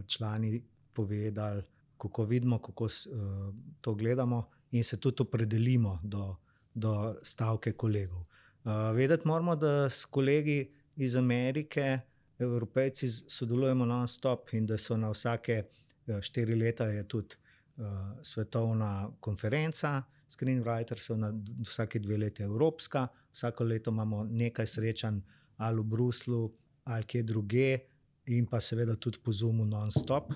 člani povedali, kako vidimo, kako s- uh, to gledamo in se tudi opredelimo do, do stavke kolegov. Uh, vedeti moramo, da s kolegi iz Amerike, Evropejci z- sodelujemo non-stop in da so na vsake uh, štiri leta je tudi uh, svetovna konferenca screenwritersov, na d- vsake dve leti evropska, vsako leto imamo nekaj srečanj ali v Bruslu ali kje druge in pa seveda tudi po Zoomu non-stop.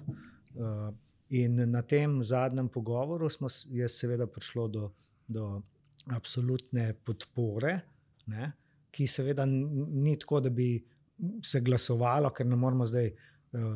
Uh, in na tem zadnjem pogovoru smo, s- je seveda prišlo do, do absolutne podpore, ne, ki seveda n- ni tako, da bi se glasovalo, ker ne moramo zdaj uh,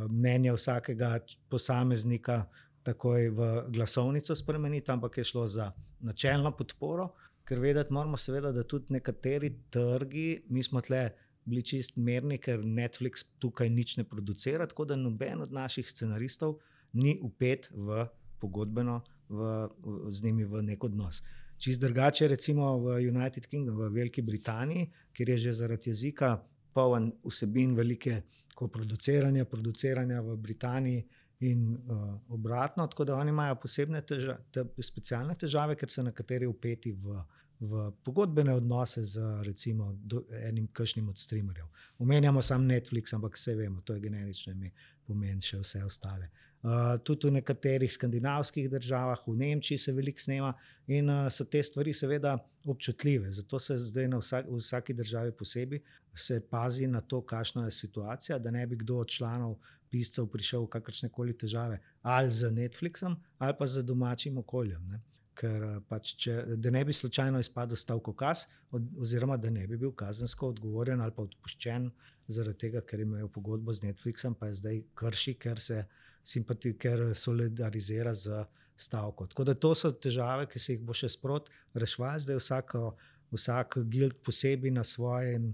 mnenje vsakega č- posameznika takoj v glasovnico spremeniti, ampak je šlo za načelno podporo, ker vedeti moramo seveda, da tudi nekateri trgi, mi smo tle bili čist merni, ker Netflix tukaj nič ne producira, tako da noben od naših scenaristov ni vpet v pogodbeno, v, v, z njimi v nek odnos. Čist drugače recimo v United Kingdom, v Veliki Britaniji, kjer je že zaradi jezika poln vsebin velike koproduciranja, produciranja v Britaniji in uh, obratno, tako da oni imajo posebne težave, te, specialne težave, ker so nekateri vpeti v, v pogodbene odnose z recimo do, enim kakšnim od streamerjev. Omenjamo sam Netflix, ampak vse vemo, to je generično ime, pomeni še vse ostale. Uh, tudi v nekaterih skandinavskih državah, v Nemčiji se veliko snema in uh, so te stvari seveda občutljive. Zato se zdaj na vsak, v vsaki državi posebej se pazi na to, kakšna je situacija, da ne bi kdo od članov piscev prišel v kakršne koli težave ali z Netflixom ali pa z domačim okoljem. Ne? Ker uh, pač, če, da ne bi slučajno izpadel stavkokaz od, oziroma da ne bi bil kazensko odgovorjen ali pa odpuščen zaradi tega, ker imajo pogodbo z Netflixom, pa je zdaj krši, ker se simpati, ker solidarizira z stavko. Tako da to so težave, ki se jih bo še sprot reševali. Zdaj vsako, vsak guild posebej na svojem,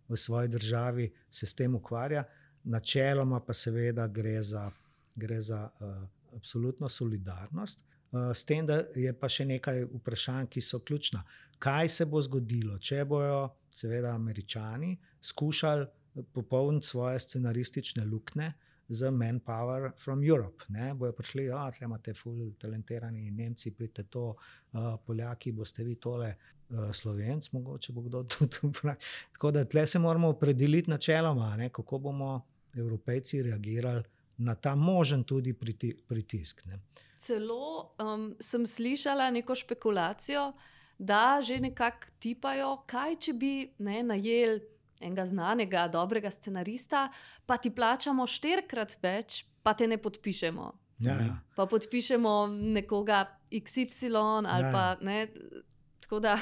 v svoji državi se s tem ukvarja. Načeloma pa seveda gre za, gre za uh, absolutno solidarnost. Uh, s tem, da je pa še nekaj vprašanj, ki so ključna. Kaj se bo zgodilo, če bojo seveda Američani skušali popolniti svoje scenaristične luknje z Manpower from Europe. Ne? Bojo prišli, ja, tle imate ful talentirani Nemci, pridite to, uh, Poljaki, boste vi tole, uh, Slovenc, mogoče bo kdo tudi vprašal. Tako da tle se moramo opredeliti načeloma, ne? Kako bomo Evropejci reagirali na ta možen tudi priti, pritisk. Ne? Celo um, sem slišala neko špekulacijo, da že nekako tipajo, kaj če bi ne, najeli enega znanega, dobrega scenarista, pa ti plačamo štirikrat več, pa te ne podpišemo. Ja, ja. Pa podpišemo nekoga iks ipsilon ali Ja, ja. pa ne. Tako da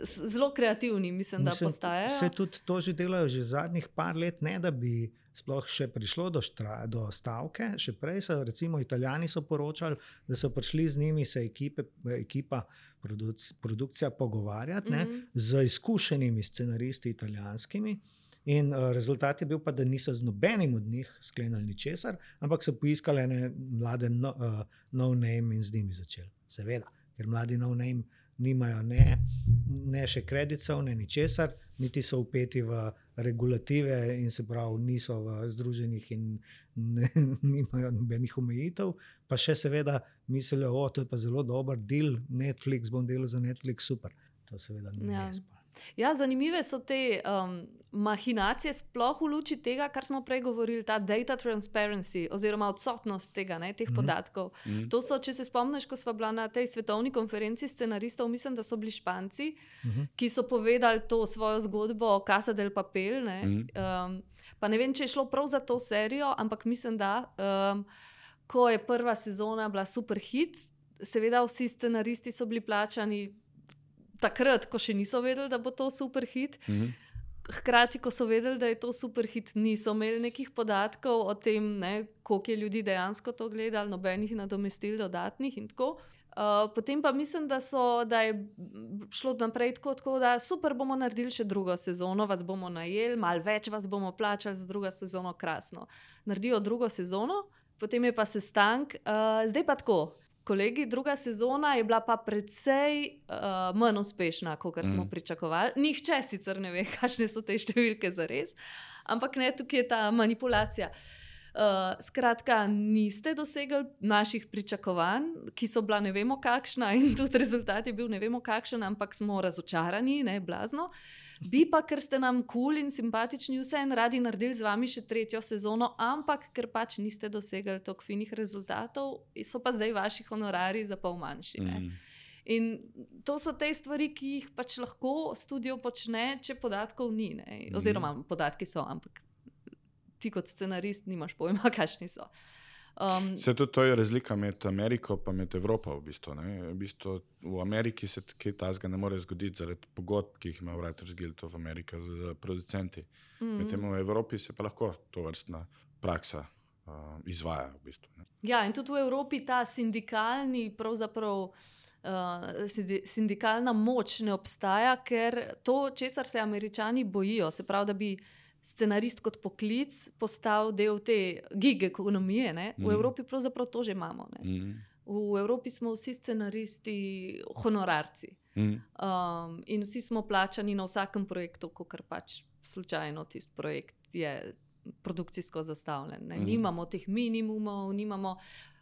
zelo kreativni, mislim, da Mislim, postajajo. Se tudi to že delajo že zadnjih par let, ne da bi sploh še prišlo do, štra, do stavke. Še prej so, recimo, Italijani so poročali, da so prišli z njimi se ekipe, ekipa produc, produkcija pogovarjati, ne, Mhm. z izkušenimi scenaristi italijanskimi. In uh, rezultat je bil pa, da niso z nobenim od njih sklenili ničesar, ampak so poiskali ene mlade no, uh, no-name in z njimi začeli. Seveda, ker mladi no-name nimajo ne, ne še kreditov, ne ničesar, niti so vpeti v regulative in se pravi niso v združenjih in ne, nimajo nobenih omejitev, pa še seveda mislijo, o, to je pa zelo dober deal, Netflix, bom delal za Netflix, super. To seveda ni Ja. res. pa. Ja, zanimive so te um, mahinacije, sploh v luči tega, kar smo prej govorili, ta data transparency oziroma odsotnost tega, ne, teh Mhm. podatkov. Mhm. To so, če se spomniš, ko sva bila na tej svetovni konferenci scenaristov, mislim, da so bili Španci, Mhm. ki so povedali to svojo zgodbo Casa del Papel. Ne. Mhm. Um, pa ne vem, če je šlo prav za to serijo, ampak mislim, da um, ko je prva sezona bila super hit, seveda vsi scenaristi so bili plačani takrat, ko še niso vedeli, da bo to super hit. Mhm. Hkrati, ko so vedeli, da je to super hit, niso imeli nekih podatkov o tem, ne, koliko je ljudi dejansko to gledali, nobenih nadomestil dodatnih in tako. Uh, potem pa mislim, da, so, da je šlo naprej tako, tako, da super bomo naredili še drugo sezono, vas bomo najeli, malo več vas bomo plačali za drugo sezono, krasno. Naredijo drugo sezono, potem je pa sestank, uh, zdaj pa tako. Kolegi, druga sezona je bila pa precej uh, manj uspešna, kot smo Mm. pričakovali. Nihče sicer ne ve, kakšne so te številke za res, ampak ne, tukaj je ta manipulacija. Uh, skratka, niste dosegli naših pričakovanj, ki so bila ne vemo kakšna, in tudi rezultat je bil ne vemo kakšen, ampak smo razočarani, ne blazno. Bi pa, ker ste nam kul cool in simpatični, vseeno radi naredili z vami še tretjo sezono, ampak ker pač niste dosegli toliko finih rezultatov, so pa zdaj vaši honorari za pol manjši. Ne? Mhm. In to so te stvari, ki jih pač lahko studio počne, če podatkov ni. Ne? Oziroma, podatki so, ampak ti kot scenarist nimaš pojma, kakšni so. Um, Se tudi to je razlika med Ameriko in med Evropo. V, bistvu, v, bistvu, v Ameriki se kaj takega ne more zgoditi zaradi pogodb, ki jih ima Writers Guild of America z producenti. mm. Medtem v Evropi se pa lahko to vrstna praksa uh, izvaja. V bistvu, ne. Ja, in tudi v Evropi ta sindikalni, pravzaprav uh, sindi, sindikalna moč ne obstaja, ker to, česar se Američani bojijo, se pravi, da bi scenarist kot poklic postal del te gig ekonomije, ne? V Mhm. Evropi pravzaprav to že imamo. Ne? Mhm. V Evropi smo vsi scenaristi honorarci. Mhm. Um, in vsi smo plačani na vsakem projektu, kot pač slučajno tisti projekt je produkcijsko zastavljen. Ne? Mhm. Nimamo teh minimumov, nimamo,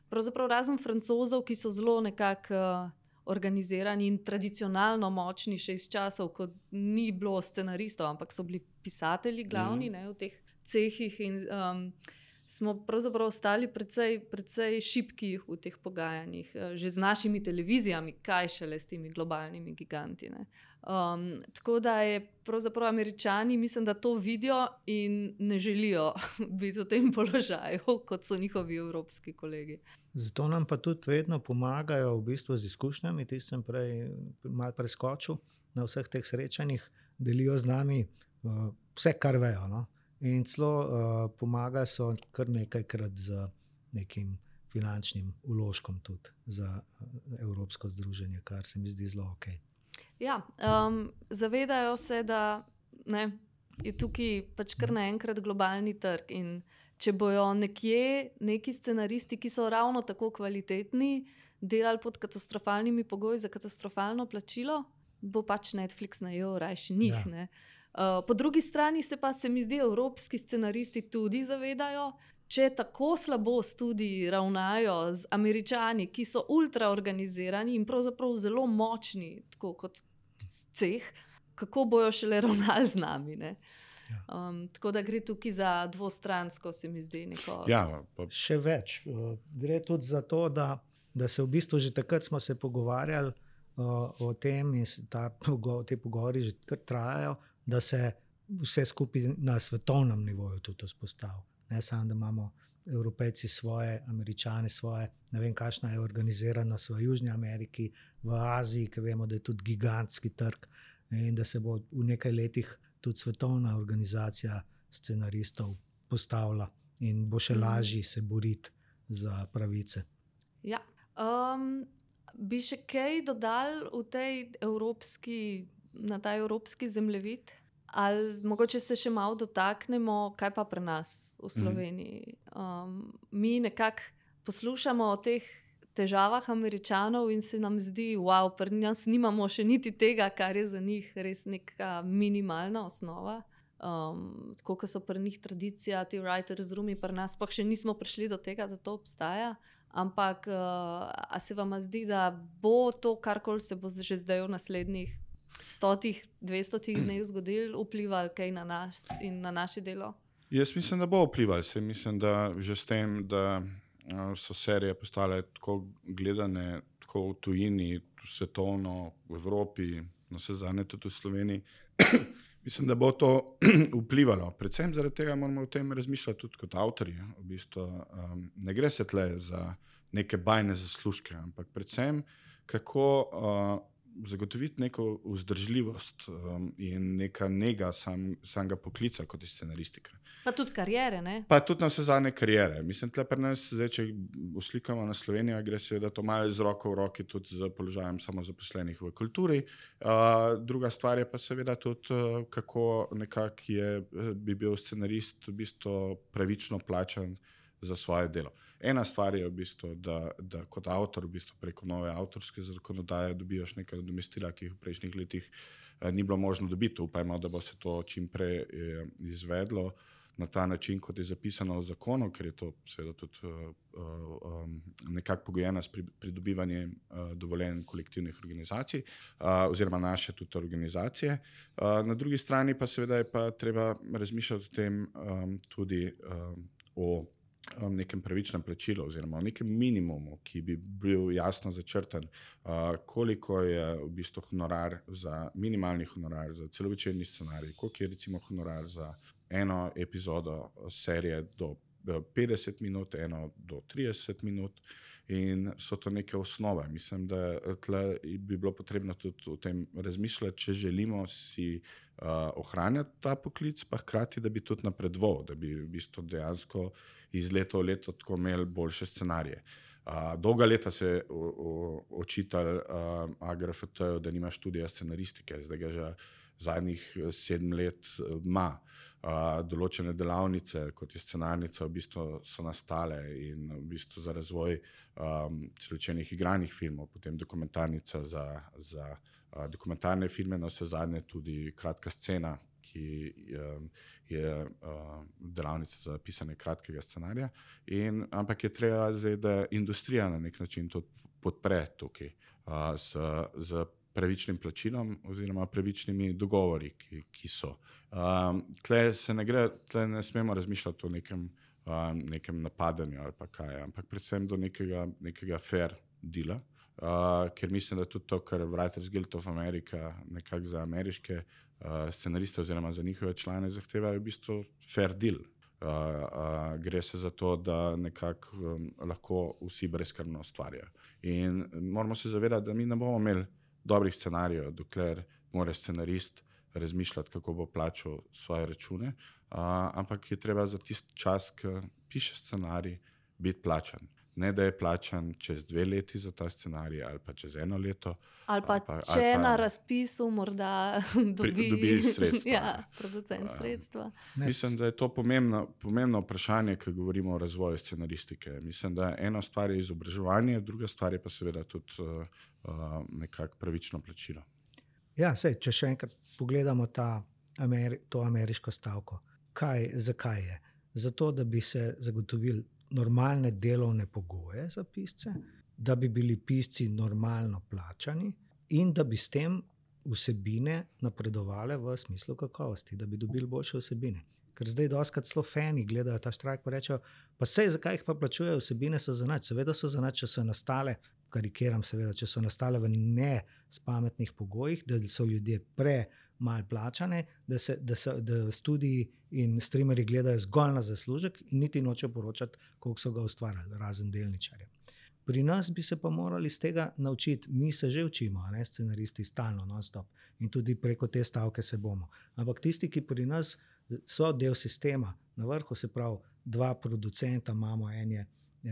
pravzaprav razen Francozov, ki so zelo nekako uh, organizirani in tradicionalno močni, še iz časov, ko ni bilo scenaristov, ampak so bili pisatelji glavni, Mhm. ne, v teh cehih. In um, smo pravzaprav ostali precej, precej šibki v teh pogajanjih, eh, že z našimi televizijami, kaj šele s temi globalnimi giganti. Ne. Um, tako da je pravzaprav Američani, mislim, da to vidijo in ne želijo biti v tem položaju, kot so njihovi evropski kolegi. Zato nam pa tudi vedno pomagajo v bistvu z izkušnjami, ti sem prej malo preskočil na vseh teh srečanjih, delijo z nami uh, vse, kar vejo. No? In celo uh, pomaga so kar nekajkrat z nekim finančnim vložkom tudi za uh, Evropsko združenje, kar se mi zdi zelo ok. Ja, um, zavedajo se, da ne, je tukaj pač kar naenkrat globalni trg. In če bojo nekje neki scenaristi, ki so ravno tako kvalitetni, delali pod katastrofalnimi pogoji za katastrofalno plačilo, bo pač Netflix najel rajši njih. Ja. Ne. Uh, po drugi strani se pa se mi zdi, evropski scenaristi tudi zavedajo, če tako slabo studiji ravnajo z Američani, ki so ultraorganizirani in pravzaprav zelo močni, tako kot ceh, kako bojo šele ravnali z nami. Ne? Um, tako da gre tukaj za dvostransko, se mi zdi. Neko... Ja, pa, Še več. uh, Gre tudi za to, da, da se v bistvu že takrat smo se pogovarjali, uh, o tem in ta, te pogovori že kar trajajo, da se vse skupaj na svetovnem nivoju tudi vzpostavi. Ne samo, da imamo Evropejci svoje, Američani svoje, ne vem, kakšna je organiziranost v Južni Ameriki, v Aziji, ki vemo, da je tudi gigantski trg in da se bo v nekaj letih tudi svetovna organizacija scenaristov postavila in bo še lažje se boriti za pravice. Ja. Um, bi še kaj dodali v tej evropski, na ta evropski zemljevid? Ali mogoče se še malo dotaknemo, kaj pa pri nas v Sloveniji. Um, mi nekako poslušamo o teh težavah Američanov in se nam zdi, wow, pri nas nimamo še niti tega, kar je za njih res neka minimalna osnova. Um, tako kot so pri njih tradicija, ti writers roomi, pri nas pa še nismo prišli do tega, da to obstaja. Ampak uh, a se vam zdi, da bo to, karkoli se bo že zdaj v naslednjih stotih, dvestotih dneh zgodil, vplival kaj na nas in na naše delo? Jaz mislim, da bo vplival. Se mislim, da že s tem, da so serije postale tako gledane, tako v tujini, svetovno, v Evropi, na vse zadnje tudi v Sloveniji, mislim, da bo to vplivalo. Predvsem zaradi tega moramo o tem razmišljati tudi kot avtorji. V bistvu, um, ne gre se tle za neke bajne zaslužke, ampak predvsem kako uh, zagotoviti neko vzdržljivost um, in neka nega sam, samega poklica kot je scenaristika. Pa tudi karijere, ne? Pa tudi na vse zadnje karijere. Mislim, tle pri nas, zdaj, če uslikamo na Slovenijo, gre seveda to malo z roko v roki tudi z položajem samozaposlenih v kulturi. Uh, druga stvar je pa seveda tudi, uh, kako nekako je, bi bil scenarist v bistvu pravično plačan za svoje delo. Ena stvar je v bistvu, da, da kot avtor v bistvu preko nove avtorske zakonodaje dobiš nekaj nadomestila, ki jih v prejšnjih letih eh, ni bilo možno dobiti. Upajmo, da bo se to čim prej eh, izvedlo na ta način, kot je zapisano v zakonu, ker je to seveda tudi uh, um, nekako pogojeno s pridobivanjem uh, dovoljenj kolektivnih organizacij uh, oziroma naše tudi organizacije. Uh, na drugi strani pa seveda je pa treba razmišljati o tem um, tudi um, o nekem pravičnem plačilu oziroma o nekem minimumu, ki bi bil jasno začrtan, uh, koliko je v bistvu honorar za minimalni honorar za celovečerni scenarij, koliko je recimo honorar za eno epizodo serije do petdeset minut, eno do trideset minut in so to neke osnove. Mislim, da tle bi bilo potrebno tudi o tem razmišljati, če želimo si uh, ohranjati ta poklic, pa hkrati, da bi tudi napredoval, da bi v bistvu dejansko iz leta v leto tako imeli boljše scenarije. Uh, dolga leta se je očitali uh, A G R F T-ju, da nima študija scenaristike, zdaj ga že zadnjih sedem let ima. Uh, določene delavnice, kot je scenarnica, v bistvu so nastale in v bistvu za razvoj um, celovečernih igranih filmov, potem dokumentarnica za, za uh, dokumentarne filme, na vse zadnje tudi kratka scena, ki um, je uh, delavnica za pisanje kratkega scenarija. In, ampak je treba zdaj, da industrija na nek način to podpre tukaj uh, z, z pravičnim plačilom oziroma pravičnimi dogovori, ki, ki so. Um, tle se ne gre, tle ne smemo razmišljati o nekem, um, nekem napadanju ali pa kaj, ampak predvsem do nekega, nekega fair deala, uh, ker mislim, da tudi to, kar Writers Guild of America nekako za ameriške uh, scenariste oziroma za njihove člane zahteva, je v bistvu fair deal. Uh, uh, gre se za to, da nekako um, lahko vsi brezskrbno ustvarjajo. In moramo se zavedati, da mi ne bomo imeli dobrih scenarijev, dokler mora scenarist razmišljati, kako bo plačal svoje račune, uh, ampak je treba za tisti čas, ki piše scenarij, biti plačan. Ne, da je plačan čez dve leti za ta scenarij ali pa čez eno leto. Ali pa, ali pa če ali pa, na razpisu morda dobi, pri, dobi sredstva. Ja, producent sredstva. Uh, mislim, da je to pomembno, pomembno vprašanje, ko govorimo o razvoju scenaristike. Mislim, da ena stvar je izobraževanje, druga stvar je pa seveda tudi uh, uh, nekako pravično plačilo. Ja, sej, če še enkrat pogledamo ta Ameri- to ameriško stavko. Kaj, zakaj je? Zato, da bi se zagotovili normalne delovne pogoje za pisce, da bi bili pisci normalno plačani in da bi s tem vsebine napredovale v smislu kakovosti, da bi dobili boljše vsebine. ker zdaj doskrat celo fani gledajo ta štrajk pa rečejo, pa sej, zakaj jih pa plačujejo, vsebine so za nič. Seveda so za nič, če so nastale, karikiram seveda, če so nastale v ne spametnih pogojih, da so ljudje pre malo plačane, da, se, da, se, da studiji in streamerji gledajo zgolj na zaslužek in niti nočejo poročati, koliko so ga ustvarjali, razen delničarje. Pri nas bi se pa morali iz tega naučiti, mi se že učimo, ne, scenaristi stalno, non-stop in tudi preko te stavke se bomo. Ampak tisti, ki pri nas so del sistema, na vrhu se pravi, dva producenta imamo, en je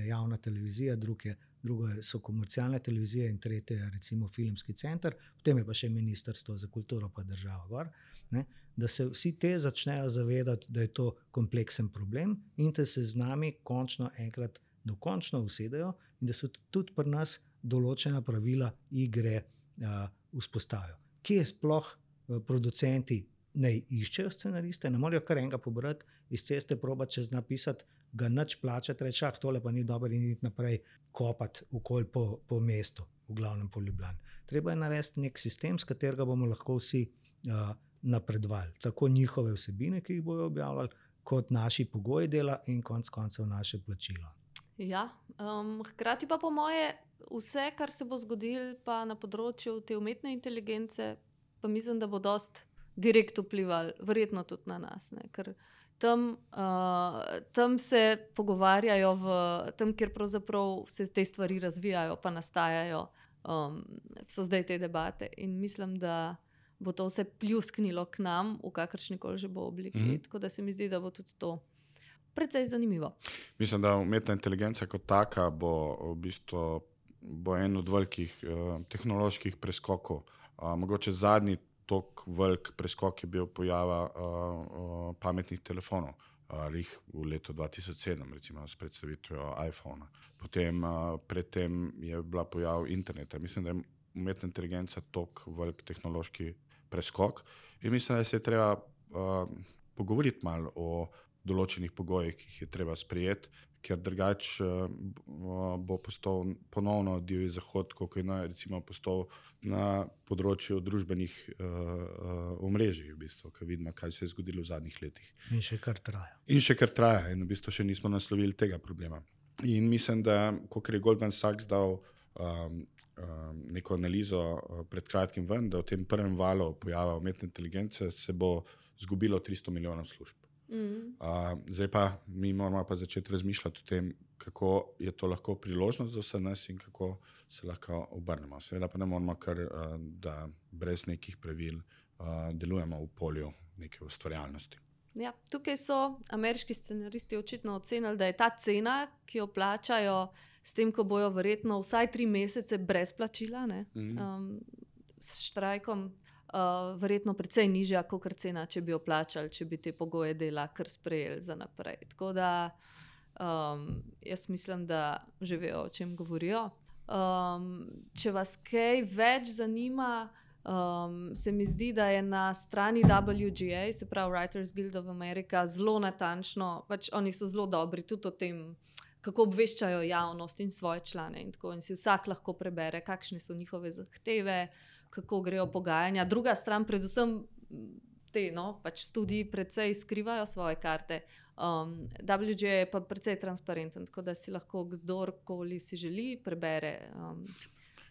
javna televizija, drug je, drugo so komercialne televizije in tretje je recimo filmski center, potem je pa še ministrstvo za kulturo pa država gor, ne, da se vsi te začnejo zavedati, da je to kompleksen problem in da se z nami končno enkrat dokončno usedejo in da so tudi pri nas določena pravila igre uh, vzpostavijo. Kje sploh uh, producenti ne iščejo scenariste, ne morajo kar enega pobrati, iz ceste probati čez napisati, ga nič plačati, reči, ah, tole pa ni dobro in iti naprej kopati okolj po, po mestu, v glavnem po Ljubljani. Treba je narediti nek sistem, s katerega bomo lahko vsi uh, napredovali. Tako njihove vsebine, ki jih bojo objavljali, kot naši pogoji dela in konec koncev naše plačilo. Ja, um, hkrati pa po moje vse, kar se bo zgodilo pa na področju te umetne inteligence, pa mislim, da bo dost direkt vplivali, verjetno tudi na nas, ne? Ker tam, uh, tam se pogovarjajo, v, tam, kjer pravzaprav se te stvari razvijajo, pa nastajajo, um, so zdaj te debate in mislim, da bo to vse pljusknilo k nam v kakršnikoli že bo obliki, mm-hmm. tako da se mi zdi, da bo tudi to precej zanimivo. Mislim, da umetna inteligenca kot taka bo v bistvu bo en od velikih uh, tehnoloških preskokov. Uh, mogoče zadnji tok velik preskok je bil pojava uh, uh, pametnih telefonov. Uh, rih v letu dva tisoč sedem, recimo s predstavitvijo iPhona. Potem uh, predtem je bila pojav interneta. Mislim, da je umetna inteligenca tok velik tehnološki preskok in mislim, da se je treba uh, pogovoriti malo o določenih pogojih, ki jih je treba sprejeti, ker drugače uh, bo postal ponovno divji zahod, kot je na, recimo postal na področju družbenih uh, uh, omrežij, v bistvu, ker vidimo, kaj se je zgodilo v zadnjih letih. In še kar traja. In še kar traja in v bistvu še nismo naslovili tega problema. In mislim, da kot je Goldman Sachs dal um, um, neko analizo uh, pred kratkim ven, da v tem prvem valu pojava umetne inteligence se bo zgubilo tristo milijonov služb. Mm. Uh, zdaj pa mi moramo pa začeti razmišljati o tem, kako je to lahko priložnost za vse nas in kako se lahko obrnemo. Seveda pa ne moramo kar, uh, da brez nekih pravil uh, delujemo v polju neke ustvarjalnosti. Ja, tukaj so ameriški scenaristi očitno ocenili, da je ta cena, ki jo plačajo s tem, ko bojo verjetno vsaj tri mesece brez plačila, ne, mm. um, s štrajkom, Uh, verjetno precej nižja, kot cena, če bi jo plačali, če bi te pogoje dela kar sprejeli za naprej. Tako da um, jaz mislim, da že vejo, o čem govorijo. Um, če vas kaj več zanima, um, se mi zdi, da je na strani W G A, se pravi Writers Guild of America, zelo natančno, pač oni so zelo dobri tudi o tem, kako obveščajo javnost in svoje člane in tako, in si vsak lahko prebere, kakšne so njihove zahteve, kako grejo pogajanja. Druga stran, predvsem te, no, pač študiji precej skrivajo svoje karte. Um, W G A je pa precej transparenten, tako da si lahko kdorkoli si želi prebere, um,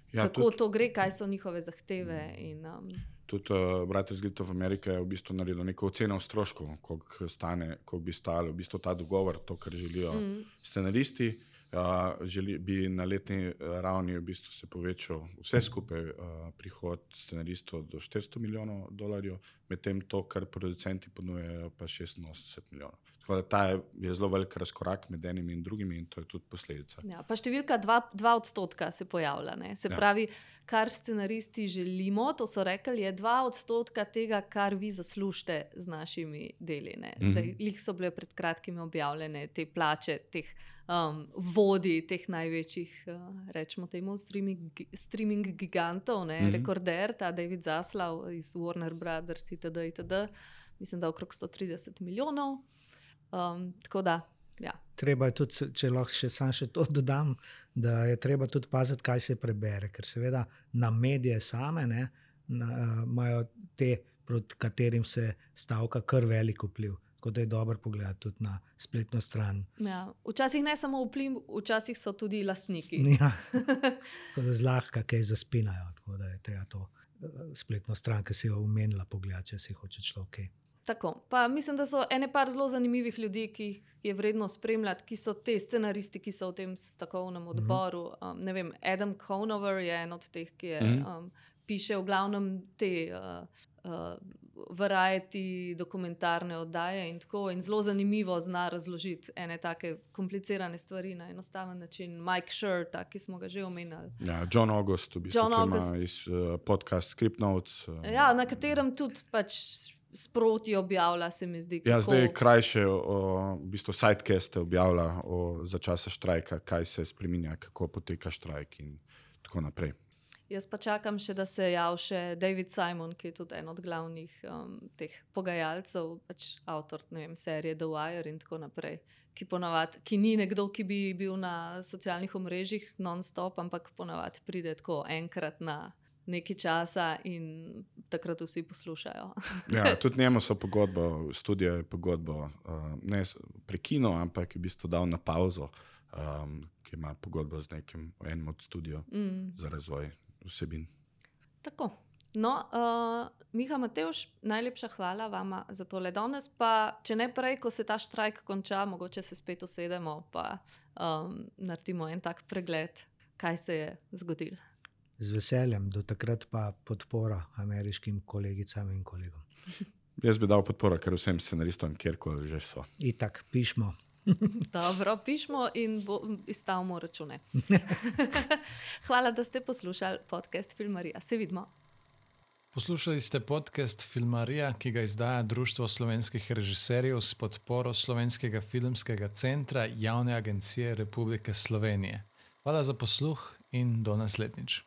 ja, kako tudi to gre, kaj so njihove zahteve. In, um, tudi uh, Writers Guild of America je v bistvu naredil neko oceno stroškov, koliko stane, koliko bi stalo v bistvu ta dogovor, to, kar želijo mm. scenaristi. Uh, želi, bi na letni ravni v bistvu se povečal vse skupaj uh, prihod scenaristov do štiristo milijonov dolarjev, medtem to, kar producenti ponujejo, pa šestinosemdeset milijonov. Tako da ta je, je zelo velik razkorak med enimi in drugimi in to je tudi posledica. Ja, pa številka dva, dva odstotka se pojavlja. Ne? Se ja. pravi, kar scenaristi želimo, to so rekli, je dva odstotka tega, kar vi zaslužite z našimi deli. Mm-hmm. Zdaj, lih so bile pred kratkimi objavljene te plače, teh um, vodij, teh največjih, uh, rečemo temu, streaming, streaming gigantov, ne? Mm-hmm. Rekorder, ta David Zaslav iz Warner Brothers itd. itd. Mislim, da okrog sto trideset milijonov. Um, tako da, ja. Treba je tudi, če lahko še sam še to dodam, da je treba tudi paziti, kaj se prebere, ker seveda na medije same ne, na, uh, imajo te, proti katerim se stavka kar velik vpliv. tako da je dobro pogledati tudi na spletno stran. Ja. Včasih ne samo vpliv, včasih so tudi lastniki. Ja, tako da zlahka kaj zaspinajo, tako da je treba to spletno stran, ki si jo omenila, pogledati, če si hoče človek kaj. Tako. Pa mislim, da so ene par zelo zanimivih ljudi, ki jih je vredno spremljati, ki so te scenaristi, ki so v tem stavkovnem odboru. Um, ne vem, Adam Conover je en od teh, ki je, um, piše v glavnem te uh, uh, variety dokumentarne oddaje in tako, in zelo zanimivo zna razložiti ene take komplicirane stvari na enostaven način. Mike Schur, ta, ki smo ga že omenjali. Ja, John August, v bistvu, John ki August. ima iz uh, podcast Script Notes. Uh, Ja, na katerem tudi pač sproti objavlja, se mi zdi. Ja, kako- zdaj krajše, o, v bistvu sidecaste objavlja o, za časa štrajka, kaj se spreminja, kako poteka štrajk in tako naprej. Jaz pa čakam še, da se javi še David Simon, ki je tudi en od glavnih um, teh pogajalcev, pač avtor, ne vem, serije The Wire in tako naprej, ki ponavadi, ki ni nekdo, ki bi bil na socialnih omrežjih non-stop, ampak ponavadi pride tako enkrat na nekaj časa in takrat vsi poslušajo. Ja, tudi njemu so pogodbo, studio je pogodbo uh, ne s- prekinil, ampak je v bistvu dal na pauzo, um, ki ima pogodbo z nekim enim od studio Mm. za razvoj vsebin. Tako. No, uh, Miha, Matevž, najlepša hvala vama za tole danes. Pa, če ne prej, ko se ta štrajk konča, mogoče se spet usedemo pa um, naredimo en tak pregled, kaj se je zgodilo. Z veseljem, do takrat pa podpora ameriškim kolegicam in kolegom. Jaz bi dal podporo kar vsem scenaristom, kjerkoli že so. Itak, pišmo. Dobro, pišmo in bo, izstavimo račune. Hvala, da ste poslušali podcast Filmarija. Se vidimo. Poslušali ste podcast Filmarija, ki ga izdaja Društvo slovenskih režiserjev s podporo Slovenskega filmskega centra Javne agencije Republike Slovenije. Hvala za posluh in do naslednjič.